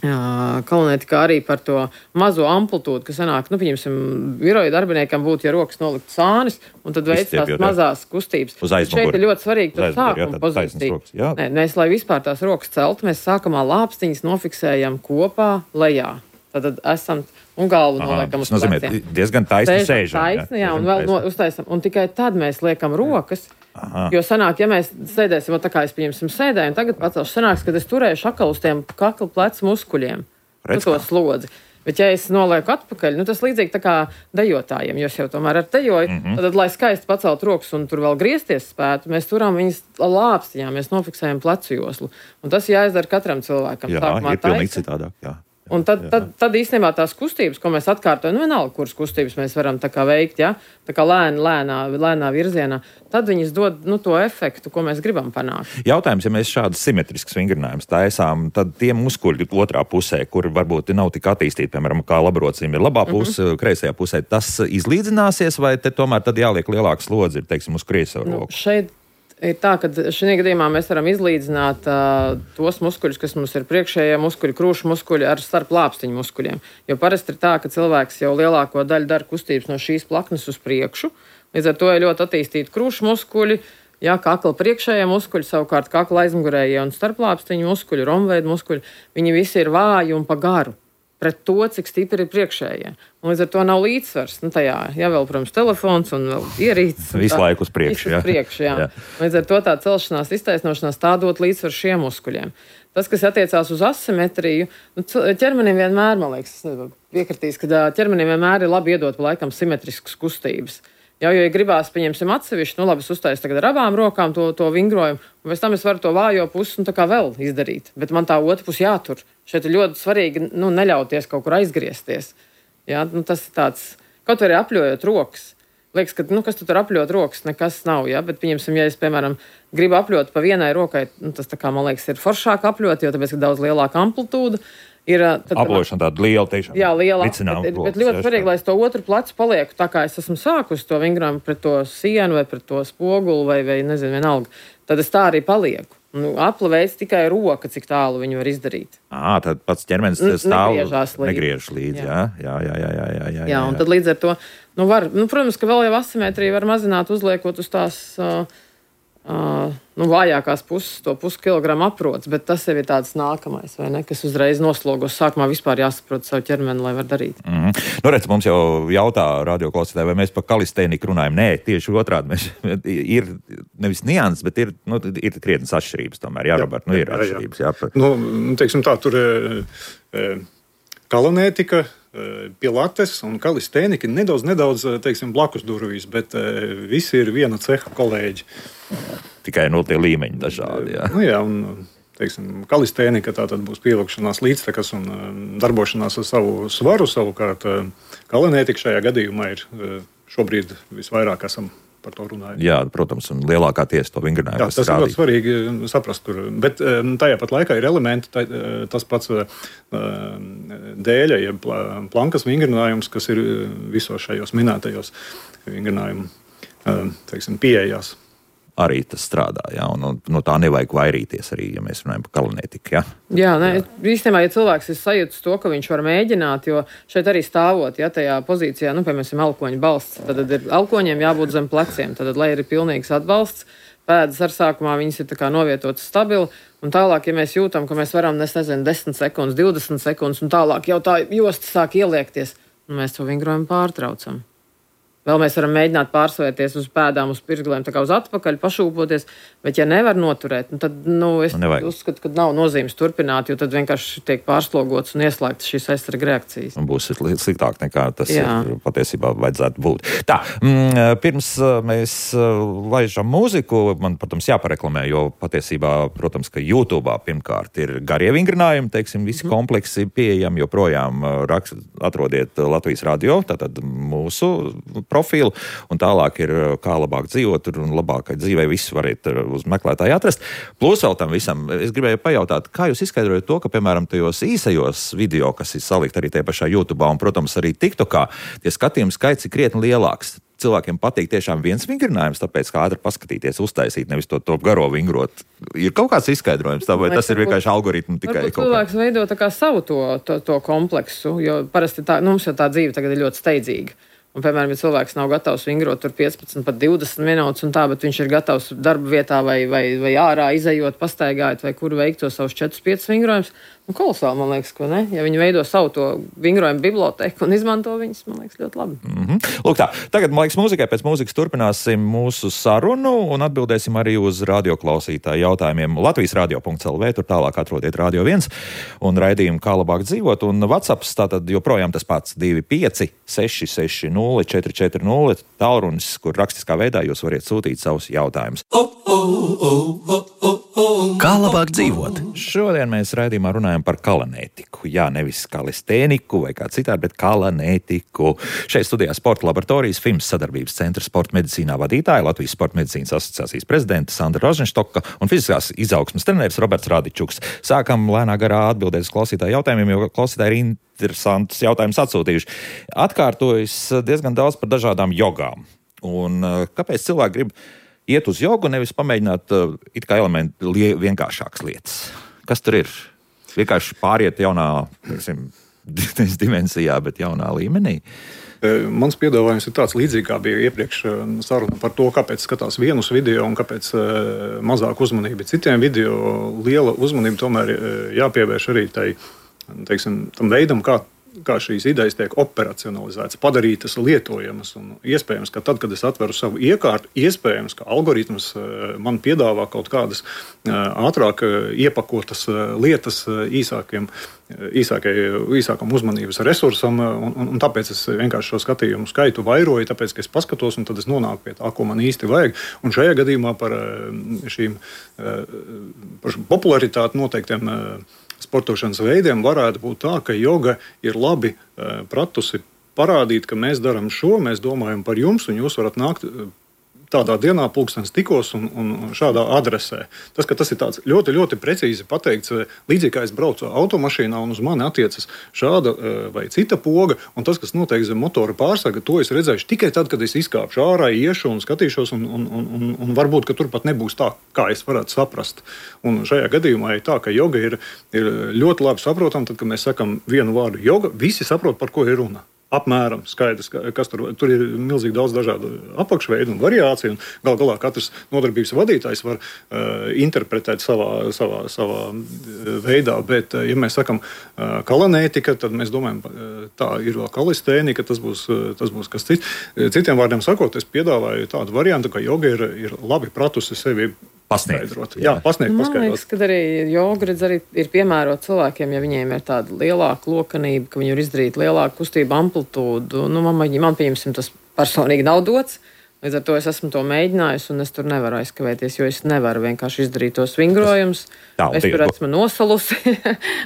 kalonētikā arī par to mazo amplitūdu, kas sanāk, nu, pieņemsim, biroja darbiniekam būtu, ja rokas nolikt sānis, un tad veic tās mazās kustības. Šeit ir ļoti svarīgi tur sākuma pozīcija. Nē, mēs, lai vispār tās rokas celtu, mēs sākamā lāpstiņas nofiksējam kopā lejā. Tad esam un galvu noliekam uz pleciem. Diezgan taisni sēžam. Taisni, jā, un vēl no, uztaisam. Un tikai tad mēs liekam rokas. Aha. Jo sanāk, ja mēs sēdēsim, tā kā es pieņemsim sēdēju, un tagad pacelšu, sanāks, kad es turēšu atkal uz tiem kakla plecu muskuļiem. Nu, to slodzi. Bet ja es nolieku atpakaļ, nu tas līdzīgi tā kā dejotājiem, jo es jau tomēr ar dejoju, mm-hmm. tad, lai skaisti pacelt rokas un tur vēl griezties spētu, mēs turām viņas lāpstiņā, mēs nofiksējam plecu joslu. Un tas jāizdara katram cilvēkam. Jā, Sākumā ir pilnīgi citādāk, jā. Un tad, tad, tad īstenībā tās kustības, ko mēs atkārtojam, nu vienalga, kuras kustības mēs varam tā kā veikt, ja? Tā kā lēni, lēnā, lēnā virzienā, tad viņas dod nu, to efektu, ko mēs gribam panākt. Jautājums, ja mēs šādus simetriskus vingrinājumus taisām, tad tie muskuļi otrā pusē, kur varbūt nav tik attīstīti, piemēram, kā labrocim ir labā puse, mm-hmm. kreisajā pusē, tas izlīdzināsies, vai te tomēr tad jāliek lielāka slodze, ir, teiksim, uz kreiso roku? Nu, šeit ir tā, ka šajā gadījumā mēs varam izlīdzināt uh, tos muskuļus, kas mums ir priekšējie muskuļi, krūšu muskuļi ar starp lāpstiņu muskuļiem. Jo parasti ir tā, ka cilvēks jau lielāko daļu dara kustības no šīs plaknes uz priekšu. Līdz ar to ir ļoti attīstīti krūšu muskuļi, jā, kakla priekšējie muskuļi, savukārt kakla aizmugurējie un starp lāpstiņu muskuļi, romveida muskuļi, viņi visi ir vāji un pa garu pret to, cik stipri ir priekšējie. Un līdz ar to nav līdzsvars. Nu, tajā, jā, vēl, protams, telefons un vēl ierīces. Visu laiku uz priekšu, jā. Uz priekšu, jā. jā. Līdz ar to tā celšanās, iztaisnošanās tā dot līdzsvaru šiem muskuļiem. Tas, kas attiecās uz asimetriju, nu, ķermenim vienmēr, man liekas, piekritīs, ka ķermenim vienmēr ir labi iedot pa laikam simetriskas kustības. Jā, jo, ja gribās, pieņemsim atsevišķi, nu labi, es uztaisu tagad ar abām rokām to, to vingrojumu, un pēc tam es varu to vājo pusi un tā kā vēl izdarīt. Bet man tā otra pusi jātur. Šeit ir ļoti svarīgi, nu, neļauties kaut kur aizgriezties. Jā, nu, tas ir tāds, kaut arī apļojot rokas. Liekas, ka, nu, kas tu tur apļot rokas, nekas nav, jā, bet, pieņemsim, ja es, piemēram, gribu apļot pa vienai rokai, nu, tas tā kā, man liekas, ir foršāk apļot, jo tāpēc, ka daudz lielāka amplitūda. Ir, tad, aplošana tāda liela, tiešām. Jā, liela. Bet, bet ļoti svarīgi, lai es to otru plecu palieku tā, kā es esmu sākusi to vingrojumu pret to sienu vai pret to spoguli vai, vai nezinu, vienalga. Tad es tā arī palieku. Nu, apla veids tikai roka, cik tālu viņu var izdarīt. Ā, tad pats ķermenis stāv, līdzi. negriež līdzi, jā. Jā, jā, jā, jā, jā, jā. Jā, un tad līdz ar to, nu, var, nu, protams, ka vēl jau asimetriju var mazināt, uzliekot uz tās uh, uh, nu, vājākās puses, to puskilogramu aprots, bet tas jau ir tāds nākamais, vai ne, kas uzreiz noslogos. Sākumā vispār jāsaprot savu ķermeni, lai var darīt. Mm-hmm. Nu, redz, mums jau jautā radioklausītāji, vai mēs par kalistēniku runājam. Nē, tieši otrādi. Mēs, ir nevis nianses, bet ir, nu, ir krietnes atšķirības tomēr. Jā, Robert, nu, ir jā, atšķirības. Jā. Jā. Nu, teiksim tā, tur e, kalonētika, e, pilates un kalistēnika nedaudz, nedaudz, teiksim, blakus durvīs, bet e, visi ir viena ceha kolēģi. Tikai no tie līmeņi dažādi. Jā, nu, jā un, teiksim, kalistēnika tā tad būs pievilkšanās līdztekas un darbošanās ar savu svaru. Savukārt kalonētika šajā gadījumā ir šobrīd visvairāk esam par to runājuši. Jā, protams, un lielākā tiesa to vingrinājumu. Jā, tas ir ļoti svarīgi saprast tur. Bet tajā pat laikā ir elementi, tā, tas pats dēļa, jeb plankas vingrinājums, kas ir visos šajos minētajos vingrinājumu, teiksim, pieejās. arī tas strādā, ja, un no tā nevajag vairīties arī, ja mēs runājam par kalanētiku, ja. Jā, ne, īstenībā, ja cilvēks ir sajūtas to, ka viņš var mēģināt, jo šeit arī stāvot, ja tajā pozīcijā, nu, piemēram, elkoņa balsts, tad ir elkoņiem jābūt zem pleciem, tad, lai ir pilnīgs atbalsts, pēdas ar sākumā viņas ir tā kā novietotas stabili, un tālāk, ja mēs jūtam, ka mēs varam, es nezinu, desmit sekundes, divdesmit sekundes, un tālāk jau tā josta sāk ieliekties, un mēs to vingrojumu pārtraucam. Vēl mēs varam mēģināt pārsvērties uz pēdām, uz pirksliem, tā kā uz atpakaļ, pašūpoties, bet ja nevar noturēt, tad, nu, es nu, uzskatu, ka nav nozīmes turpināt, jo tad vienkārši tiek pārslogots un ieslēgts šīs aizsarga reakcijas. Un būs sliktāk nekā tas Jā. patiesībā vajadzētu būt. Tā, mm, pirms mēs laižam mūziku, man, protams, jāpareklamē, jo patiesībā, protams, ka YouTube pirmkārt ir garie vingrinājumi, teiksim, visi mm. kompleksi pieejami, joprojām rakst, atrodiet Latvijas radio, tātad mūsu profilu, un tālāk ir kā labāk dzīvot, un labākai dzīvei visu variet uz meklētāju atrast. Plus vēl tam visam, es gribēju pajautāt, kā jūs izskaidrojat to, ka, piemēram, tajos īsajos video, kas ir salikt arī tajā pašā YouTube, un, protams, arī TikTokā, tie skatījumi skaits ir krietni lielāks. Cilvēkiem patīk tiešām viens vingrinājums, tāpēc kā ātri paskatīties, uztaisīt, nevis to, to garo vingrot. Ir kaut kāds izskaidrojums, tā, vai tas ir vienkārši algoritmu tikai kaut kā? Cilvēks veido tā kā savu to, to, to kompleksu, jo parasti tā, nu, mums jau tā dzīve tagad ir ļoti steidzīga. Un, piemēram, ja cilvēks nav gatavs vingrot tur piecpadsmit, pat divdesmit minūtes un tā, bet viņš ir gatavs darba vietā vai, vai, vai ārā izejot, pastaigājot vai kur veikt to savus četrus piecus vingrojumus, nu, kolosāli, man liekas, ko ne? Ja viņi veido savu to vingrojumu biblioteku un izmanto viņus, man liekas, ļoti labi. Mm-hmm. Lūk tā, tagad, man liekas, mūzikai pēc mūzikas turpināsim mūsu sarunu un atbildēsim arī uz radioklausītāju jautājumiem. Latvijas radio punkts el vē, tur tālāk atrodiet Radio viens un raidījumu Kā labāk dzīvot, un WhatsApps tātad joprojām tas pats divi pieci seši seši nulle četri četri nulle tālrunis, kur rakstiskā veidā jūs variet sūtīt savus jautājumus. Kā labāk dzīvot? Šodien mēs raidījumā runājam par kalanētiku. Jā, nevis kalistēniku vai kā citādi, bet kalanētiku. Šeit studijā Sporta laboratorijas F I M S sadarbības centra sporta medicīnā vadītāja, Latvijas sporta medicīnas asociācijas prezidenta Sandra Rozenštoka un fiziskās izaugsmes treneris Roberts Radičuks. Sākam lēnā garā atbildēt uz klausītāju jautājumiem, jo klausītāji ir interesantus jautājumus atsūtījuši. Atkārtojas diezgan daudz par dažādām jogām. Un kāpēc cilvēki grib iet uz jogu, nevis pamēģināt uh, it kā elementi lie, vienkāršākas lietas? Kas tur ir? Vienkārši pāriet jaunā, teiksim, dimensijā, bet jaunā līmenī? Mans piedāvājums ir tāds līdzīgi, kā bija iepriekš saruna par to, kāpēc skatās vienus video un kāpēc mazāk uzmanība citiem video. Liela uzmanība tomēr jāpievērš arī tai, teiksim, tam veidam, kā kā šīs idejas tiek operacionalizētas, padarītas lietojamas. Un iespējams, ka tad, kad es atveru savu iekārtu, iespējams, ka algoritms man piedāvā kaut kādas ātrāk iepakotas lietas īsākiem, īsākai, īsākam uzmanības resursam, un, un, un tāpēc es vienkārši šo skatījumu skaitu vairoju, tāpēc, ka es paskatos, un tad es nonāku pie tā, ko man īsti vajag. Un šajā gadījumā par šīm par popularitāti noteiktiem sportošanas veidiem varētu būt tā, ka joga ir labi pratusi parādīt, ka mēs darām šo, mēs domājam par jums, un jūs varat nākt tādā dienā pulkstens tikos un, un šādā adresē. Tas, ka tas ir tāds ļoti, ļoti precīzi pateikts, līdzīgi kā es braucu automašīnā un uz mani attiecas šāda vai cita poga, un tas, kas notiek zem motora pārsarga, to es redzēšu tikai tad, kad es izkāpšu ārā, iešu un skatīšos, un, un, un, un varbūt, ka turpat nebūs tā, kā es varētu saprast. Un šajā gadījumā ir tā, ka joga ir, ir ļoti labi saprotam, tad, kad mēs sakam vienu vārdu joga, visi saprot, par ko ir runa. Apmēram skaidrs, kas tur, tur ir milzīgi daudz dažādu apakšveidu un variāciju, un gal galā katrs nodarbības vadītājs var uh, interpretēt savā, savā, savā veidā, bet, uh, ja mēs sakam uh, kalanētika, tad mēs domājam, uh, tā ir vēl kalistēnika, tas būs, uh, tas būs kas cits. Citiem vārdiem sakot, es piedāvāju tādu variantu, ka joga ir, ir labi pratusi sevi paskaidrot. Jā, pasniegt, paskaidrot. Man liekas, ka arī joga redz arī ir piemērot cilvēkiem, ja viņiem ir tāda lielāka lokanība, ka viņi var izdarīt lielāku kustību amplitūdu. Nu, man, man pieņemsim, tas personīgi nav dots. Līdz ar to es esmu to mēģinājusi, un es tur nevaru aizkavēties, jo es nevaru vienkārši izdarīt tos vingrojumus. Es tur esmu nosalusi,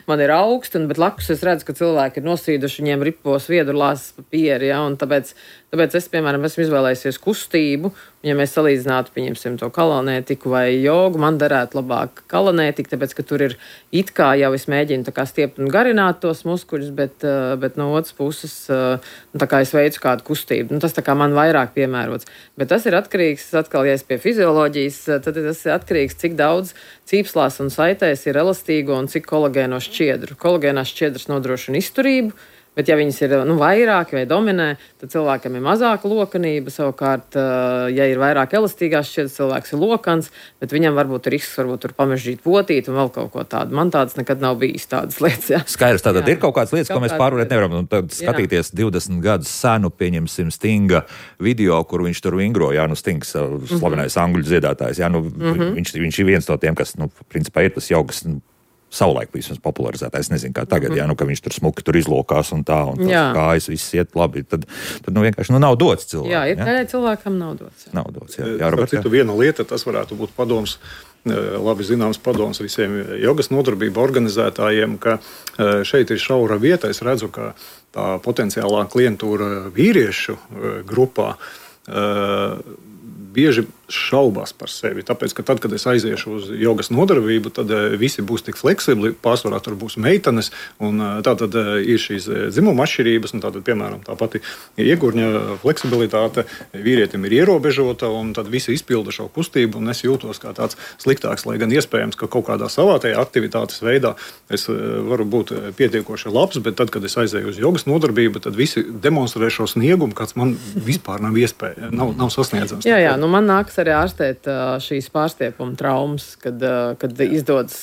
man ir augsti, bet blakus es redzu, ka cilvēki ir nosīduši, viņiem ripo sviedru lāzes papīri, ja, un tāpēc, tāpēc es, piemēram, esmu izvēlējusies kustību. Ja mēs salīdzinātu, pieņemsim to kalonētiku vai jogu, man derētu labāk kalonētika, tāpēc, ka tur ir it kā jau es mēģinu tā kā stiept un garināt tos muskuļus, bet, bet no otras puses, nu, tā kā es veicu kādu kustību. Nu, tas tā kā man vairāk piemērots. Bet tas ir atkarīgs, atkal, ja es pie fizioloģijas, tad tas ir atkarīgs, cik daudz cīpslās un saitēs ir elastīgo un cik kolagēno šķiedru. Kolagēnās šķiedras nodrošina izturību. Bet, ja viņas ir nu, vairāk vai dominē, tad cilvēkam ir mazāka lokanība. Savukārt, ja ir vairāk elastīgās šķiedras, cilvēks ir lokans, bet viņam varbūt ir risks, varbūt tur pamežģīt potīt un vēl kaut ko tādu. Man tādas nekad nav bijis tādas lietas. Jā. Skaidrs, tātad jā. Ir kaut kādas lietas, kaut ko mēs pārvarēt nevaram. Un tad skatīties jā. divdesmit gadus senu, pieņemsim Stinga video, kur viņš tur vingro. Jā, nu Stings, slavenais mm-hmm. angļu dziedātājs. Jā, nu, mm-hmm. viņš, viņš ir viens no tiem, kas, nu, principā ir tas jogas, nu, savulaik vismaz popularizētājs, nezinu, kā tagad, mm. jā, nu, ka viņš tur smuki tur izlokās un tā, un tās kājas viss iet labi, tad, tad nu, vienkārši nu, nav dots cilvēkam. Jā, ir jā? cilvēkam nav dots. Jā. Nav dots, jā. jā, Robert, jā. Citu, viena lieta, tas varētu būt padoms, labi zināms padoms visiem jogas nodarbību organizētājiem, ka šeit ir šaura vieta, es redzu, ka tā potenciālā klientūra vīriešu grupā bieži šaubās par sevi. Tāpēc, ka tad, kad es aiziešu uz jogas nodarbību, tad visi būs tik fleksibli, pārsvarā tur būs meitenes, un tā tad ir šīs dzimuma atšķirības, un tātad, piemēram, tā pati iegurņa fleksibilitāte vīrietim ir ierobežota, un tad visi izpilda šo kustību, un es jūtos kā tāds sliktāks, lai gan iespējams, ka kaut kādā savātajā aktivitātes veidā es varu būt pietiekoši labs, bet tad, kad es aizēju uz jogas nodarbību, tad visi demonstrē šo sniegumu, kāds man vispār nav iespēja, nav, nav sasniedzams. Jā, jā, nu man nāks arī ārstēt šīs pārstiepuma traumas, kad, kad izdodas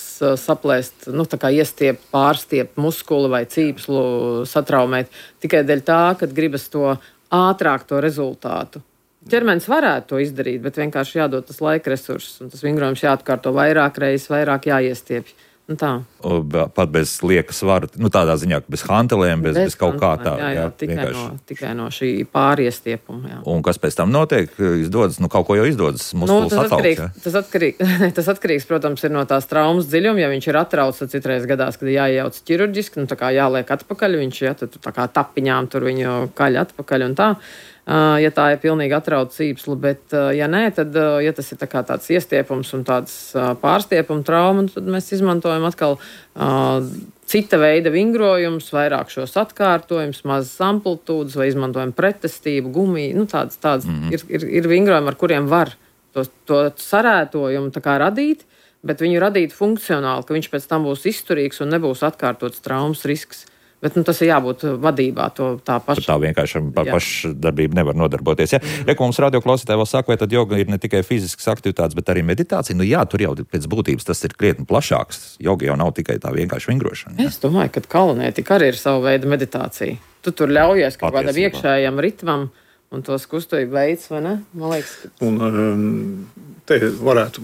saplēst, nu, tā kā iestiept, pārstiept muskuli vai cīpslu, satraumēt tikai dēļ tā, kad gribas to ātrāk to rezultātu. Ķermenis varētu to izdarīt, bet vienkārši jādod tas laika resurss, un tas vingrojums jāatkārto vairāk reizes, vairāk jāiestiepj. Nu tā. Pat bez lieka svara, nu tādā ziņā, bez hantelēm, bez, bez, bez kaut kā tā. Jā, jā, jā tikai, vienkārši. no, tikai no šī pāriestiepuma. Jā. Un kas pēc tam notiek? Izdodas, nu kaut ko jau izdodas, muskulis nu, atsaukt. Atkarīgs, tas, atkarīgs, tas atkarīgs, protams, ir no tās traumas dziļuma. Ja viņš ir atrauts, tad citreiz gadās, kad jāiejauc ķirurģiski, nu tā kā jāliek atpakaļ, viņš, ja, tad tā kā tapiņām tur viņu kaļ atpakaļ un tā. Uh, ja tā ir pilnīgi atrauta cīpsla, bet, uh, ja nē, tad, uh, ja tas ir tā kā tāds iestiepums un tāds uh, pārstiepuma trauma, tad mēs izmantojam atkal uh, cita veida vingrojumus, vairāk šos atkārtojumus, mazas amplitūdas vai izmantojam pretestību, gumiju, nu tādas, tādas mm-hmm. ir, ir, ir vingrojumi, ar kuriem var to, to sarētojumu tā kā radīt, bet viņu radīt funkcionāli, ka viņš pēc tam būs izturīgs un nebūs atkārtots traumas risks. Bet nu, tas ir jābūt vadībā, to tā paša. Tā vienkārši pa, pašdarbība nevar nodarboties. Ja? Mm. Reku mums radioklausītāji vēl saka, vai tad joga ir ne tikai fiziskas aktivitātes, bet arī meditācija. Nu jā, tur jau pēc būtības tas ir krietni plašāks. Joga jau nav tikai tā vienkārši vingrošana. Ja? Es domāju, ka kalonētika arī ir sava veida meditācija. Tu tur ļaujies kaut kādam iekšējam ritmam un tos kustību veids, vai ne? Man liekas, ka... Un, um, te varētu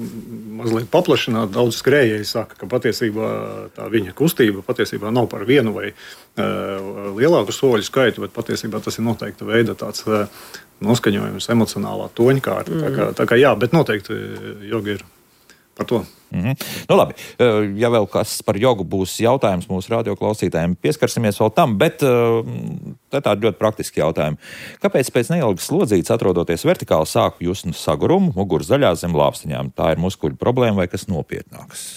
mazliet paplašināt. Daudz skrējēji saka, ka patiesībā tā viņa kustība patiesībā nav par vienu vai uh, lielāku soļu skaitu, bet patiesībā tas ir noteikta veida tāds uh, noskaņojums, emocionālā toņkārta. Mm. Tā kā, tā kā jā, bet noteikti joga ir par to. Mm-hmm. Nu labi, ja vēl kas par jogu būs jautājums mūsu radioklausītājiem, pieskarsimies vēl tam, bet tā ir tādi ļoti praktiski jautājumi. Kāpēc pēc neilgas slodzītes atrodoties vertikāli sāku just sagurumu, muguras daļā zem lāpstiņām? Tā ir muskuļu problēma vai kas nopietnāks?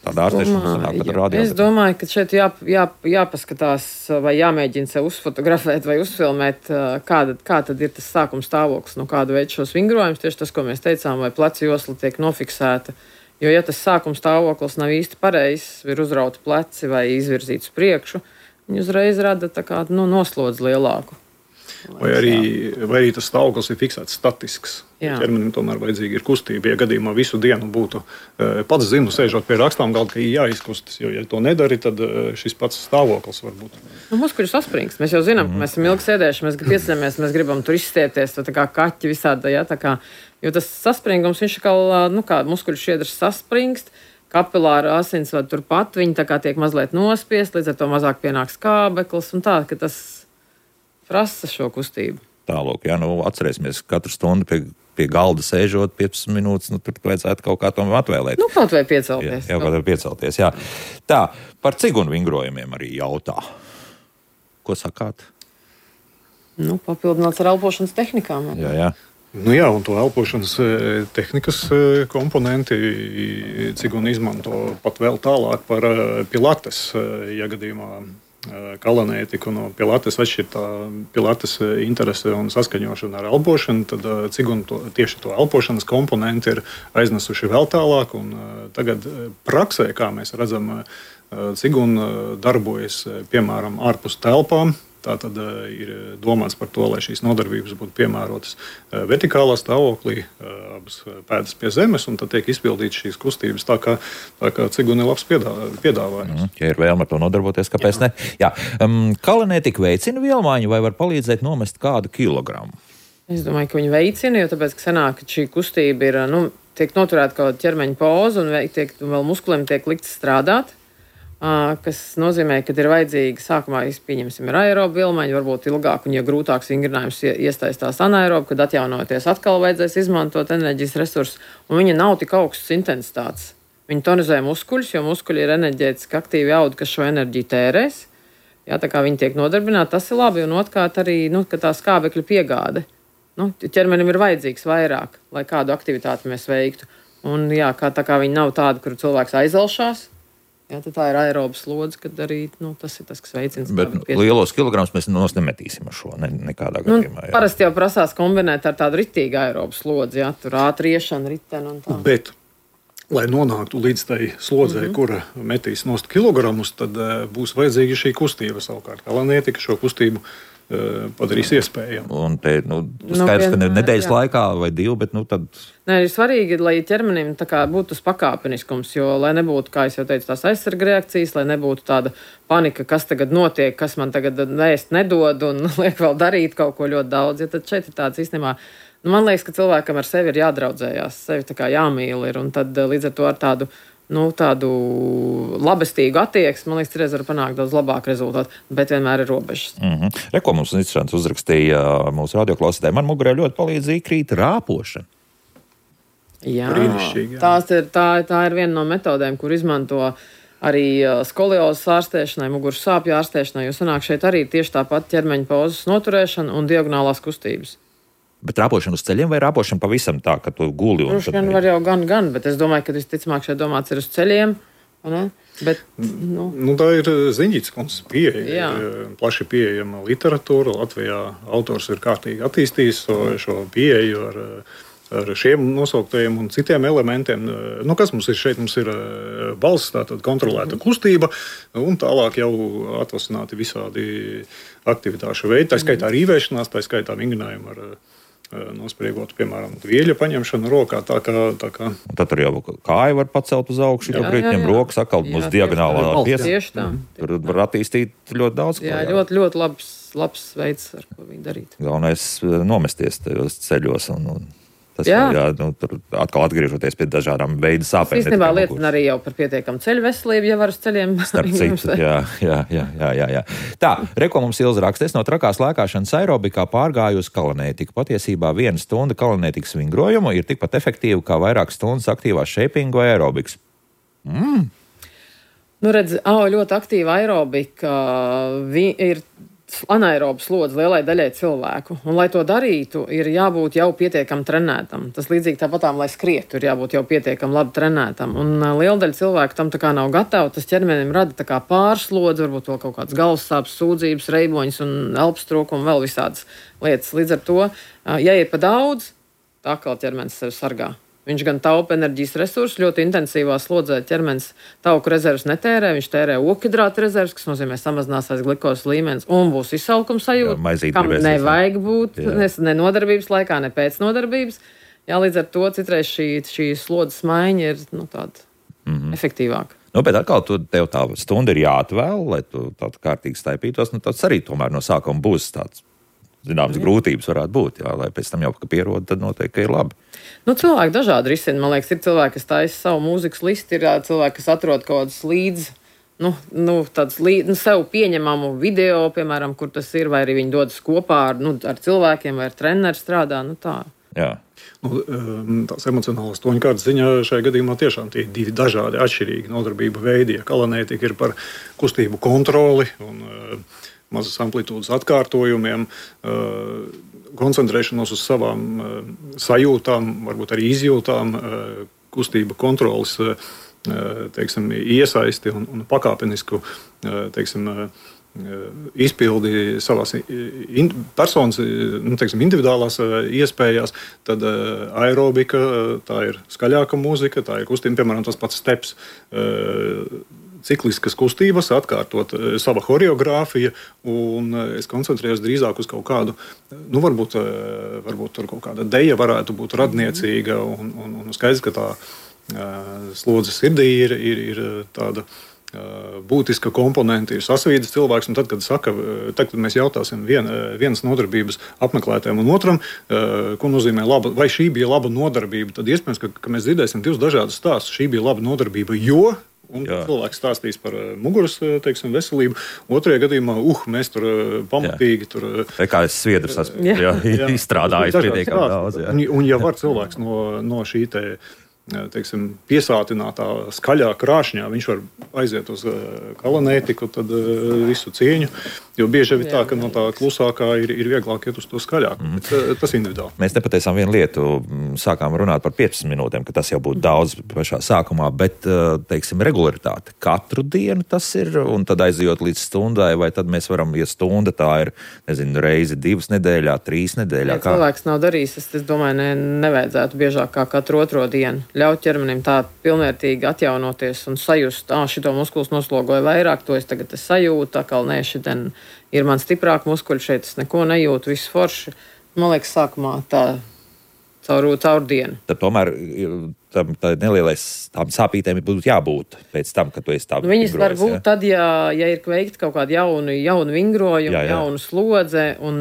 Tāda ārstēšana sanāk, kad rādījā. Es domāju, ka šeit jā, jā, jāpaskatās vai jāmēģina sev uzfotografēt vai uzfilmēt, kāda, kā tad ir tas sākuma stāvoklis, no kāda veida šos vingrojumus, tieši tas, ko mēs teicām, vai pleca josla tiek nofiksēta. Jo, ja tas sākuma stāvoklis nav īsti pareizs, ir uzrauti pleci vai izvirzīts priekšu, viņi uzreiz rada tā kā nu, noslodzi lielāku. Vai arī, vai arī tas stāvoklis ir fiksēts statisks. Ķermenim tomēr vajadzīga ir kustība. Ja gadījumā visu dienu būtu pats zinu, sēžot pie rakstām galda, ka jāizkustas, jo, ja to nedari, tad šis pats stāvoklis var būt. Nu, muskuļu saspringst. Mēs jau zinām, ka mēs esam ilgi sēdējuši, mēs pieceļamies, mēs gribam tur izstiepties, tā kā kaķi visādi, ja, tā kā, jo tas saspringums, viņš kā, nu kā muskuļu šķiedras saspringst, kapilāra asinsvada turpat, viņi tā kā tiek mazliet nospiest, līdz ar to mazāk pienāks kābeklis un tā, ka tas prasa šo kustību. Tālāk, jā, nu atcerēsimies katru stundu pie, pie galda sēžot piecas minūtes, nu tur vajadzētu kaut kā tomēr atvēlēt. Nu, kaut vai piecelties. Jā, kaut vai piecelties, jā. Tā, par cigunu vingrojumiem arī jautā. Ko sakāt? Nu, papildināts ar elpošanas tehnikām. Jā, jā. Nu jā, un to elpošanas tehnikas komponenti Ciguna izmanto pat vēl tālāk par pilates, ja gadījumā kalanētika no pilates atšķir tā pilates interese un saskaņošana ar elpošanu, tad Ciguna to, tieši to elpošanas komponenti ir aiznesuši vēl tālāk, un tagad praksē, kā mēs redzam, Ciguna darbojas, piemēram, ārpus telpām. Tā tad uh, ir domāts par to, lai šīs nodarbības būtu piemērotas uh, vertikālā stāvoklī, uh, abas pēdas pie zemes, un tad tiek izpildītas šīs kustības tā, kā, tā kā Ciguna ir labs piedā, piedāvājums. Mm, ja ir vēlme ar to nodarboties, kāpēc Jā. ne? Jā. Um, kalanētika veicina vielmaiņu vai var palīdzēt nomest kādu kilogramu? Es domāju, ka viņi veicina, jo tāpēc, ka sanāk, ka šī kustība ir, nu, tiek noturēta kaut ķermeņa poza un tiek, vēl muskuliem tiek likts strādāt. Kas nozīmē, ka ir vajadzīga sākumā pieņemsim ir aeroba vilmaiņa, varbūt ilgāk, un ja grūtāks vingrinājums iesaistās anaeroba, kad atjaunoties atkal vajadzēs izmantot enerģijas resursus, un viņa nav tik augstas intensitātes. Viņa tonizē muskuļus, jo muskuļi ir enerģētiski aktīvi audi, kas šo enerģiju tērēs. Jā, tā kā viņi tiek nodarbināti, tas ir labi, un otrkārt arī, nu, ka tā skābekļa piegāde. Nu, ķermenim ir vajadzīgs vairāk, lai kādu aktivitāti mēs veiktu. Un jā, kā, tā kā viņi nav tādi, kur cilvēks aizelšās, jā, tā ir aerobas slodze, kad arī nu, tas ir tas, kas veicina. Bet lielos kilogramus mēs nos nemetīsim ar šo, ne, nekādā gadījumā. Nu, parasti jau prasās kombinēt ar tādu ritīgu aerobas slodzi, jā, tur ātri iešana, ritena un tā. Bet, lai nonāktu līdz tai slodzei, mm-hmm. kura metīs nost kilogramus, tad uh, būs vajadzīga šī kustība savukārt. Kalanētika šo kustību uh, padarīs iespējamu. Un te, nu, skaidrs, ka ne nedēļas jā. laikā vai divu, bet, nu, tad... Nē, ir svarīgi, lai ķermenim tā kā būtu tas pakāpeniskums, jo, lai nebūtu, kā es jau teicu, tās aizsarga reakcijas, lai nebūtu tāda panika, kas tagad notiek, kas man tagad ēst nedod un liek vēl darīt kaut ko ļoti daudz. Ja tad šeit ir tāds īstenībā, nu, man liekas, ka cilvēkam ar sevi ir jādraudzējās, sevi tā kā jāmīl ir, un tad līdz ar to ar tādu, nu, tādu labestīgu attieksmi, man liekas, reiz var panākt daudz labāku rezultātu, bet vienmēr ir robežas. Mm-hmm. Reko mums interesants uzrakstīja mūsu radioklausītāji, man mugurē ļoti palīdz īkrīt rāpošana. Jā, tās ir, tā, tā ir viena no metodēm, kur izmanto arī skoliozes ārstēšanai, muguras sāpju ārstēšanai, jo sanāk šeit arī tieši tāpat ķermeņa pauzes noturēšana un diagonālās kustības. Bet rāpošana uz ceļiem vai rāpošana pavisam tā, ka tu guli? Droši vien var jau gan, gan, bet es domāju, ka visticamāk šeit domāts ir uz ceļiem. Ne? Bet, nu. Nu, tā ir Ziņģītes kundzes pieeja. Plaši pieejama literatūra. Latvijā autors ir kārtīgi attīstījis šo, šo pieeju ar ar šiem nosauktajiem un citiem elementiem. Nu, kas mums ir šeit? Mums ir balss, tātad kontrolēta kustība, un tālāk jau atvasināti visādi aktivitāšu veidi, tā skaitā rīvēšanās, tā skaitā vingrinājumi ar nospriegotu, piemēram, vieļa paņemšanu rokā. Tā kā, tā kā. Tad tur jau kāja var pacelt uz augšu, jau brītņiem rokas atkal uz diagonālā piesa. Tur var attīstīt ļoti daudz. Jā, jā. ļoti, ļoti labs, labs veids, ar ko viņi darīt. Galvenais nomesties tajos ceļos un, un tas jā. Jā, nu, tur atkal atgriežoties pie dažādām veidu sāpēm. Īstenībā liecina arī jau par pietiekamu ceļu veselību, ja var uz ceļiem. Starp citu, jā, jā, jā, jā, jā. Tā, reko mums Ilza raksta, es no trakās lēkāšanas aerobikā pārgāju uz kalanētiku. Patiesībā viena stunda kalanētikas vingrojumu ir tikpat efektīva kā vairāk stundas aktīvās šeipingu vai aerobiks. Mm. Nu, redz, au, ļoti aktīva aerobika vi, ir anaerobas slodze lielai daļai cilvēku. Un, lai to darītu, ir jābūt jau pietiekam trenētam. Tas līdzīgi tāpatām, lai skrietu, ir jābūt jau pietiekam labi trenētam. Un uh, liela daļa cilvēku tam tā kā nav gatava. Tas ķermenim rada tā kā pārslodzi, varbūt vēl kaut kāds galvas sāpes, sūdzības, reiboņas un elpas trūkumu, vēl visādas lietas. Līdz ar to, uh, ja ir pa daudz, tā atkal ķermenis sevi sargā. Viņš gan taupa enerģijas resursus, ļoti intensīvā slodzē ķermenis tauku rezervus netērē, viņš tērē okidrātu rezervus, kas nozīmē samazināsies glikozes līmenis un būs izsalkuma sajūta, jā, kam nevajag būt ne, ne nodarbības laikā, ne pēc nodarbības. Jā, līdz ar to citreiz šī, šī slodzes maiņa ir nu, tāda mm-hmm. efektīvāka. Nu, bet atkal tu, tev tā stunda ir jāatvēl, lai tu tādu kārtīgi staipītos, nu tas arī tomēr no sākuma būs tāds. Zināmas grūtības varētu būt, jā, lai pēc tam jau, ka pierod, tad noteikti ir labi. Nu, cilvēki dažādi risina. Man liekas, ir cilvēki, kas taisa savu mūzikas listi, ir cilvēki, kas atrod kaut kādus līdz, nu, nu, tādus līdz, nu, sev pieņemamu video, piemēram, kur tas ir, vai arī viņi dodas kopā ar, nu, ar cilvēkiem, vai ar treneru strādā, nu tā. Jā. Nu, tās emocionālās toņkārtas ziņā šajā gadījumā tiešām tie divi dažādi atšķirīgi nodarbību veidi. Ja kalanētika ir par kustību kontroli un mazas amplitūdas atkārtojumiem. koncentrēšanos uz savām sajūtām, varbūt arī izjūtām, kustība kontrolas, teiksim, iesaisti un, un pakāpenisku, teiksim, izpildi savās in, personas, nu, teiksim, individuālās iespējās, tad aerobika, tā ir skaļāka mūzika, tā ir kustība, piemēram, tas pats steps, cikliskas kustības, atkārtot sava horeogrāfija, un es koncentrējos drīzāk uz kaut kādu, nu, varbūt, varbūt tur kaut kāda deja varētu būt radniecīga, un, un, un skaidrs, ka tā slodze sirdī ir, ir, ir tāda būtiska komponente, ir sasvīdas cilvēks, un tad, kad saka, tad, kad mēs jautāsim vien, vienas nodarbības apmeklētājiem un otram, ko nozīmē laba, vai šī bija laba nodarbība, tad iespējams, ka, ka mēs dzirdēsim divus dažādus stāstus. Šī bija laba nodarbība, jo un Jā. cilvēks stāstīs par muguras, teiksim, veselību. Otrajā gadījumā, uh, mēs tur pamatīgi tur... Vai kā es sviedrs esmu jā. Jā, izstrādājis pietiekami daudz. Jā. Un, un ja var cilvēks no, no šī te, teiksim, piesātinātā skaļā krāšņā, viņš var aiziet uz kalanētiku, tad visu cieņu, jo bieži ir tā, ka no tā klusākā ir, ir vieglāk iet uz to skaļāk. Mm. Bet, tas individuāli. Mēs nepateicām vienu lietu, sākām runāt par piecpadsmit minūtēm, ka tas jau būtu daudz pašā sākumā, bet, teiksim, regularitāte. Katru dienu tas ir, un tad aizjot līdz stundai, vai tad mēs varam, ja stunda tā ir, nezinu, reizi divas nedēļā, trīs nedēļā. Ja cilvēks nav darījis, es, es domāju, ne, nevajadzētu biežāk kā katru otro dienu. Ļaut ķermenim tā pilnvērtīgi atjaunoties un sajust, ā, šito muskulis noslogoja vairāk, to es tagad es sajūtu, atkal nē, šitien ir man stiprāk muskuļi, šeit es neko nejūtu, viss forši. Man liekas, sākumā tā caur, caur dienu. Tad tomēr tam nelielais tām sāpītēm būtu jābūt pēc tam, kad tu esi tā nu, viņas var būt ja? Tad, ja, ja ir veikti kaut kādi jauni, jauni vingrojumi, jā, jā. jaunu slodze, un,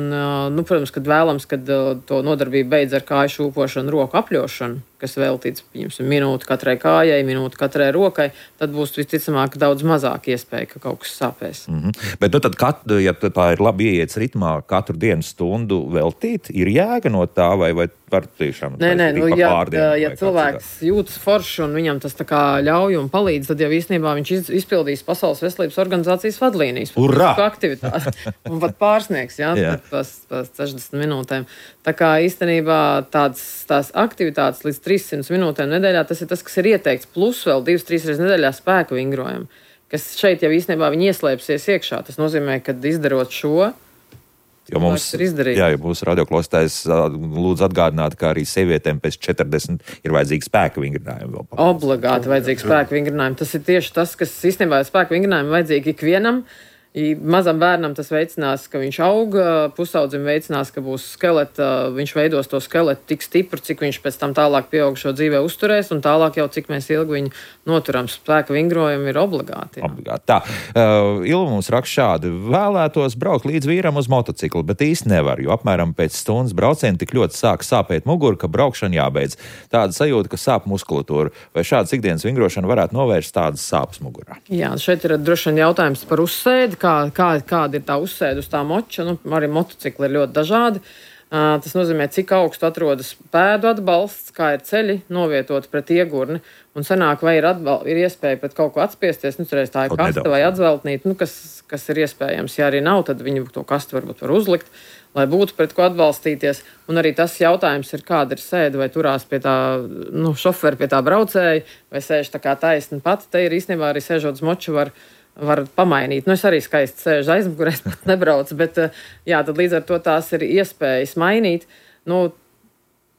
nu, protams, kad vēlams, kad to nodarbību beidz ar kāju šūpošanu, roku apļošanu, kas veltīts, pieņemsim, minūti katrai kājai, minūti katrai rokai, tad būs visticamāk daudz mazāk iespēja, ka kaut kas sāpēs. Mm-hmm. Bet, nu, tad, kat, ja tā ir labi ieiets ritmā, katru dienu stundu veltīt, ir jēga no tā, vai, vai var tiešām nē, nē, nu, ja, pārdienu, ja cilvēks jūtas forši un viņam tas tā kā ļauj un palīdz, tad jau īstenībā viņš iz, izpildīs Pasaules veselības organizācijas vadlīnijas. Urā! Aktivitāti. Un pat pārsniegs, jā, jā. Pēc sešdesmit minūtēm. Tā kā īstenībā tāds, tās aktivitātes līdz trīssimts minūtēm nedēļā, tas ir tas, kas ir ieteikts, plus vēl divas, trīs reizes nedēļā spēka vingrojam, kas šeit jau īstenībā viņi ieslēpsies iekšā. Tas nozīmē, ka izdarot šo, Jo mums, jā, jo mūsu radioklausītājs lūdzu atgādināt, ka arī sievietēm pēc četrdesmit ir vajadzīgi spēka vingrinājumi. Obligāti vajadzīgi spēka vingrinājumi. Tas ir tieši tas, kas īstenībā ir spēka vingrinājumi vajadzīgi ikvienam. Mazam bērnam tas veicinās, ka viņš aug, pusaudzim veicinās, ka būs skeleta, viņš veidos to skeletu tik stipru, cik viņš pēc tam tālāk pieaugušo dzīvē uzturēs, un tālāk jau cik mēs ilgi viņu noturam. Spēka vingrojumi ir obligāti. Jā. Obligāti. Tā, uh, Ilva mums raksta šādi. Vēlētos braukt līdz vīram uz motociklu, bet īsti nevar, jo apmēram pēc stundas brauciena tik ļoti sāk sāpēt muguru, ka braukšana jābeidz. Tāda sajūta, ka sāp muskulatūra. Vai šādas ikdienas vingrošana varētu novērst tādas sāpes mugurā? Jā, šeit ir droši vien jautājums par uzsēdi. Kā, kā, kāda ir tā uzsēde uz tā moča. Nu, arī motocikli ir ļoti dažādi. Uh, tas nozīmē, cik augstu atrodas pēdu atbalsts, kā ir ceļi novietot pret iegurni. Un sanāk, vai ir, atbal, ir iespēja pret kaut ko atspiesties. Nu, cerēs, tā ir kaste nedaudz. Vai atzveltnīt, nu, kas, kas ir iespējams. Ja arī nav, tad viņi to kastu varbūt var uzlikt, lai būtu pret ko atbalstīties. Un arī tas jautājums ir, kāda ir sēde, vai turās pie tā nu, šoferi, pie tā braucēja, vai sēž tā kā taisni pati. Te ir īstenībā arī sēžot uz moču var var pamainīt. Nu, es arī skaisti sēžu aizmugurē, es pat nebraucu, bet jā, tad līdz ar to tās ir iespējas mainīt. Nu,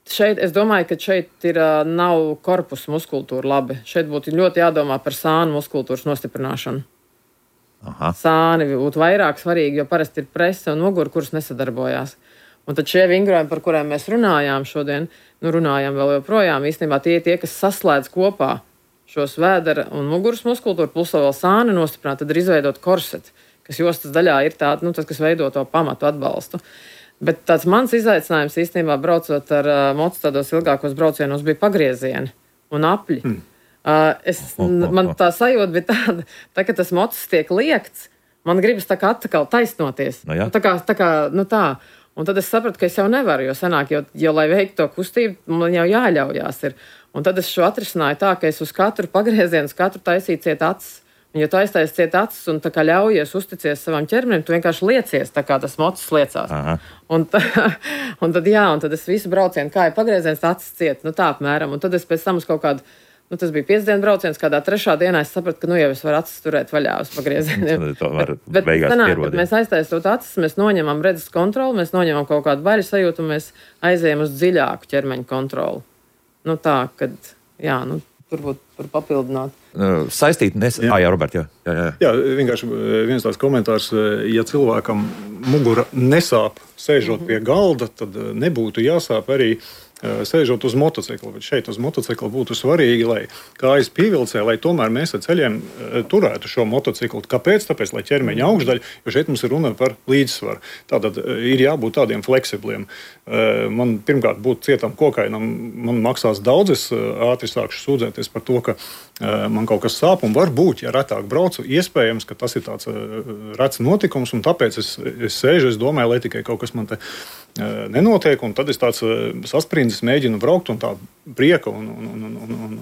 šeit, es domāju, ka šeit ir, nav korpusa muskultūra labi. Šeit būtu ļoti jādomā par sānu muskultūras nostiprināšanu. Aha. Sāni būtu vairāk svarīgi, jo parasti ir prese un mugura, kuras nesadarbojās. Un tad šie vingrojumi, par kuriem mēs runājām šodien, nu runājām vēl joprojām, īstenībā tie tie, kas saslēdz kopā šos vēdera un muguras muskultūru, plus vēl sāni nostiprināt, tad ir izveidot korseti, kas jostas daļā ir tāda, nu, tas, kas veido to pamatu atbalstu. Bet tāds mans izaicinājums īstenībā braucot ar uh, mocu tādos ilgākos braucienos bija pagriezieni un apļi. Mm. Uh, es, man tā sajūta bija tāda, tā, ka tas mocis tiek liekts, man gribas tā kā atkal taisnoties. No, tā kā, tā kā, nu tā. Un tad es sapratu, ka es jau nevaru, jo senāk, jo, jo lai veiktu to kustību, man jau jāļaujās ir. Un tad es šo atrisināju tā, ka es uz katru pagriezienu, uz katru taisīju ciet acis. Ja tu aiztais ciet acis un tā kā ļaujies uzticies savam ķermenim, tu vienkārši liecies, tā kā tas mocis liecās. Aha. Un, tā, un tad, jā, un tad es visu braucienu kāju pagrieziens, acis ciet, nu tā apmēram. Un tad es pēc tam uz kaut kādu, nu tas bija piecdienu brauciens, kādā trešā dienā es sapratu, ka nu jau es varu acis turēt vaļā uz pagriezieniem. Bet, bet sanāk, kad mēs aiztaisot acis, mēs noņemam redzes kontroli, mēs noņemam kaut kādu baļu sajūtu un mēs aizējam uz dziļāku ķermeņa kontroli. Nu tā, kad, jā, nu turbūt par papildināt. Saistīt, nes... jā. Ah, jā, Robert, jā. Jā, jā. jā, vienkārši viens tāds komentārs, ja cilvēkam mugura nesāp sēžot pie galda, tad nebūtu jāsāp arī sēžot uz motocikla, bet šeit uz motocikla būtu svarīgi, lai kājas pievilcē, lai tomēr mēs ar ceļiem turētu šo motociklu. Kāpēc? Tāpēc, lai ķermeņa augšdaļa, jo šeit mums ir runa par līdzsvaru. Tātad ir jābūt tādiem fleksibliem. Man pirmkārt būtu cietam kokainam, man maksās daudz, es ātri sākšu sūdzēties par to, ka man kaut kas sāp, un varbūt, ja retāk braucu, iespējams, ka tas ir tāds rets notikums, un tāpēc es, es sēžu, es domāju, lai tikai kaut kas man te nenotiek, un tad es tāds sasprindzis mēģinu braukt, un tā prieka un, un, un, un, un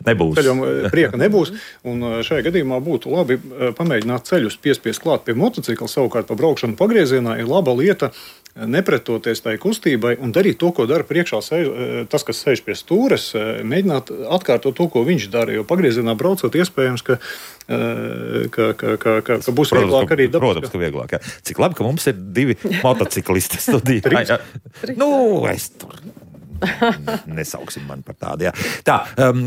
nebūs. Ceļam, prieka nebūs. Un šajā gadījumā būtu labi pamēģināt ceļus piespiest klāt pie motocikla, savukārt pa braukšanu pagriezienā ir laba lieta nepretoties tai kustībai un darīt to, ko dara priekšā sēž, tas, kas sēž pie stūres, mēģināt atkārtot to, ko viņš dara, jo pagriezienā braucot iespējams, ka, ka, ka, ka, ka, ka būs protams, vieglāk arī dabas. Protams, ka vieglāk. Jā. Cik labi, ka mums ir divi motociklisti studijā. Jā, jā. Nu, es tur nesauksim man par tādu. Jā. Tā, um,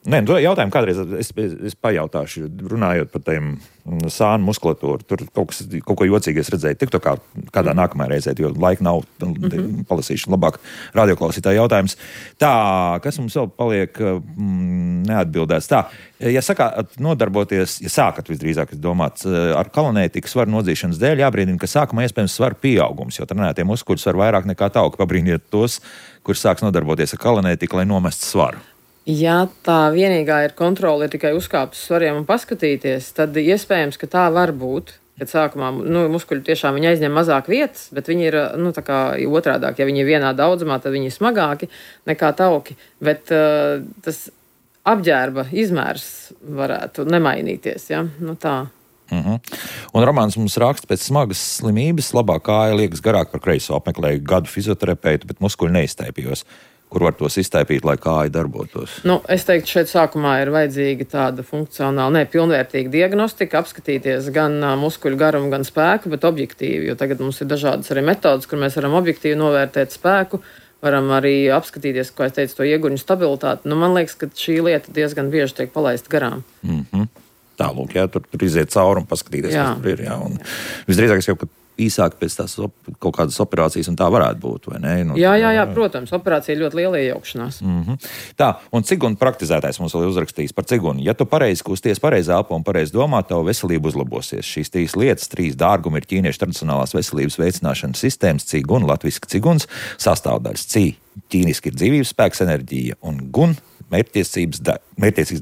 Nē, jautājumu kādreiz es, es, es pajautāšu, runājot par tiem sānu muskulatūru. Tur kaut, kas, kaut ko jocīgi es redzēju, tik to kā kādā nākamajā reizē, jo laika nav, mm-hmm. palasīšu labāk radioklausītāju jautājums. Tā, kas mums vēl paliek mm, neatbildēts? Tā, ja sakāt nodarboties, ja sākat visdrīzāk domāt ar kalonētiku svaru nodzīšanas dēļ, jābrīdina, ka sākumā iespējams svaru pieaugums, jo trenētie muskuļi svar vairāk nekā tauki. Pabrīniet tos, kurš sāks nodarboties ar kalonētiku, lai nomestu svaru. Ja tā vienīgā ir kontrole, ir tikai uzkāpt uz svariem un paskatīties, tad iespējams, ka tā var būt. Kad sākumā nu, muskuļi tiešām viņi aizņem mazāk vietas, bet viņi ir nu, tā kā otrādāk. Ja viņi ir vienā daudzumā, tad viņi ir smagāki nekā tauki. Bet uh, tas apģērba izmērs varētu nemainīties. Ja? Nu, tā. Uh-huh. Un Romāns mums raksta, pēc smagas slimības labā kāja liekas garāk par kreiso. Apmeklēju gadu fizioterapeitu, bet muskuļi neiztaipījos. Kur var tos iztaipīt, lai kāja darbotos? Nu, es teiktu, šeit sākumā ir vajadzīga tāda funkcionāla, ne, pilnvērtīga diagnostika, apskatīties gan uh, muskuļu garumu, gan spēku, bet objektīvi, jo tagad mums ir dažādas arī metodas, kur mēs varam objektīvi novērtēt spēku, varam arī apskatīties, kā es teicu, to ieguņu stabilitāti. Nu, man liekas, ka šī lieta diezgan bieži tiek palaista garām. Mm-hmm. Tālūk, jā, tur, tur iziet cauri un paskatīties, jā. Kas tur ir, jā. Un visdrīzāk es jau, ka īsāk pēc tās op, kaut kādas operācijas, un tā varētu būt, vai ne? Nu, jā, jā, jā, protams, operācija ir ļoti liela iejaukšanās. Mm-hmm. Tā, un cigunu praktizētājs mums vēl uzrakstījis par cigunu. Ja tu pareizi kusties, pareizi elpo un pareizi domā, tavu veselību uzlabosies. Šīs trīs lietas, trīs dārgumi ir ķīniešu tradicionālās veselības veicināšanas sistēmas, ciguna, latviski ciguns, sastāvdaļas cī. Ķīniski ir dzīvības spēks, enerģija un gun. Mērķtiecīgs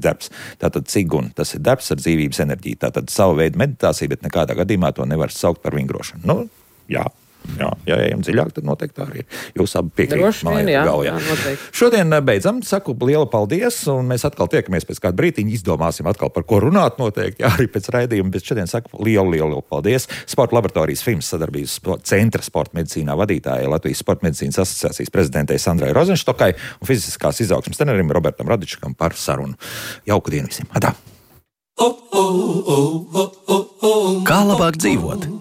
darbs. Tātad ciguna, tas ir darbs ar dzīvības enerģiju. Tātad savu veidu meditācija, bet nekādā gadījumā to nevar saukt par vingrošanu. Nu, jā, jā, ja ejam dziļāk, tad noteikti tā arī ir. Jūs abi piekrīt. Droši vien, jā, jā, noteikti. Šodien beidzam, saku lielu paldies, un mēs atkal tiekamies pēc kāda brītiņa, izdomāsim atkal par ko runāt noteikti, jā, arī pēc raidījuma, bet šodien saku lielu, lielu, lielu paldies. Sporta laboratorijas Fims sadarbības centra sporta medicīnā vadītājai Latvijas Sporta medicīnas asociācijas prezidentei Sandrai Rozenštokai un fiziskās izaugsmes trenerim Robertam Radičakam par sarunu. Jauku dienu visiem! Adā! Kā labāk dzīvot?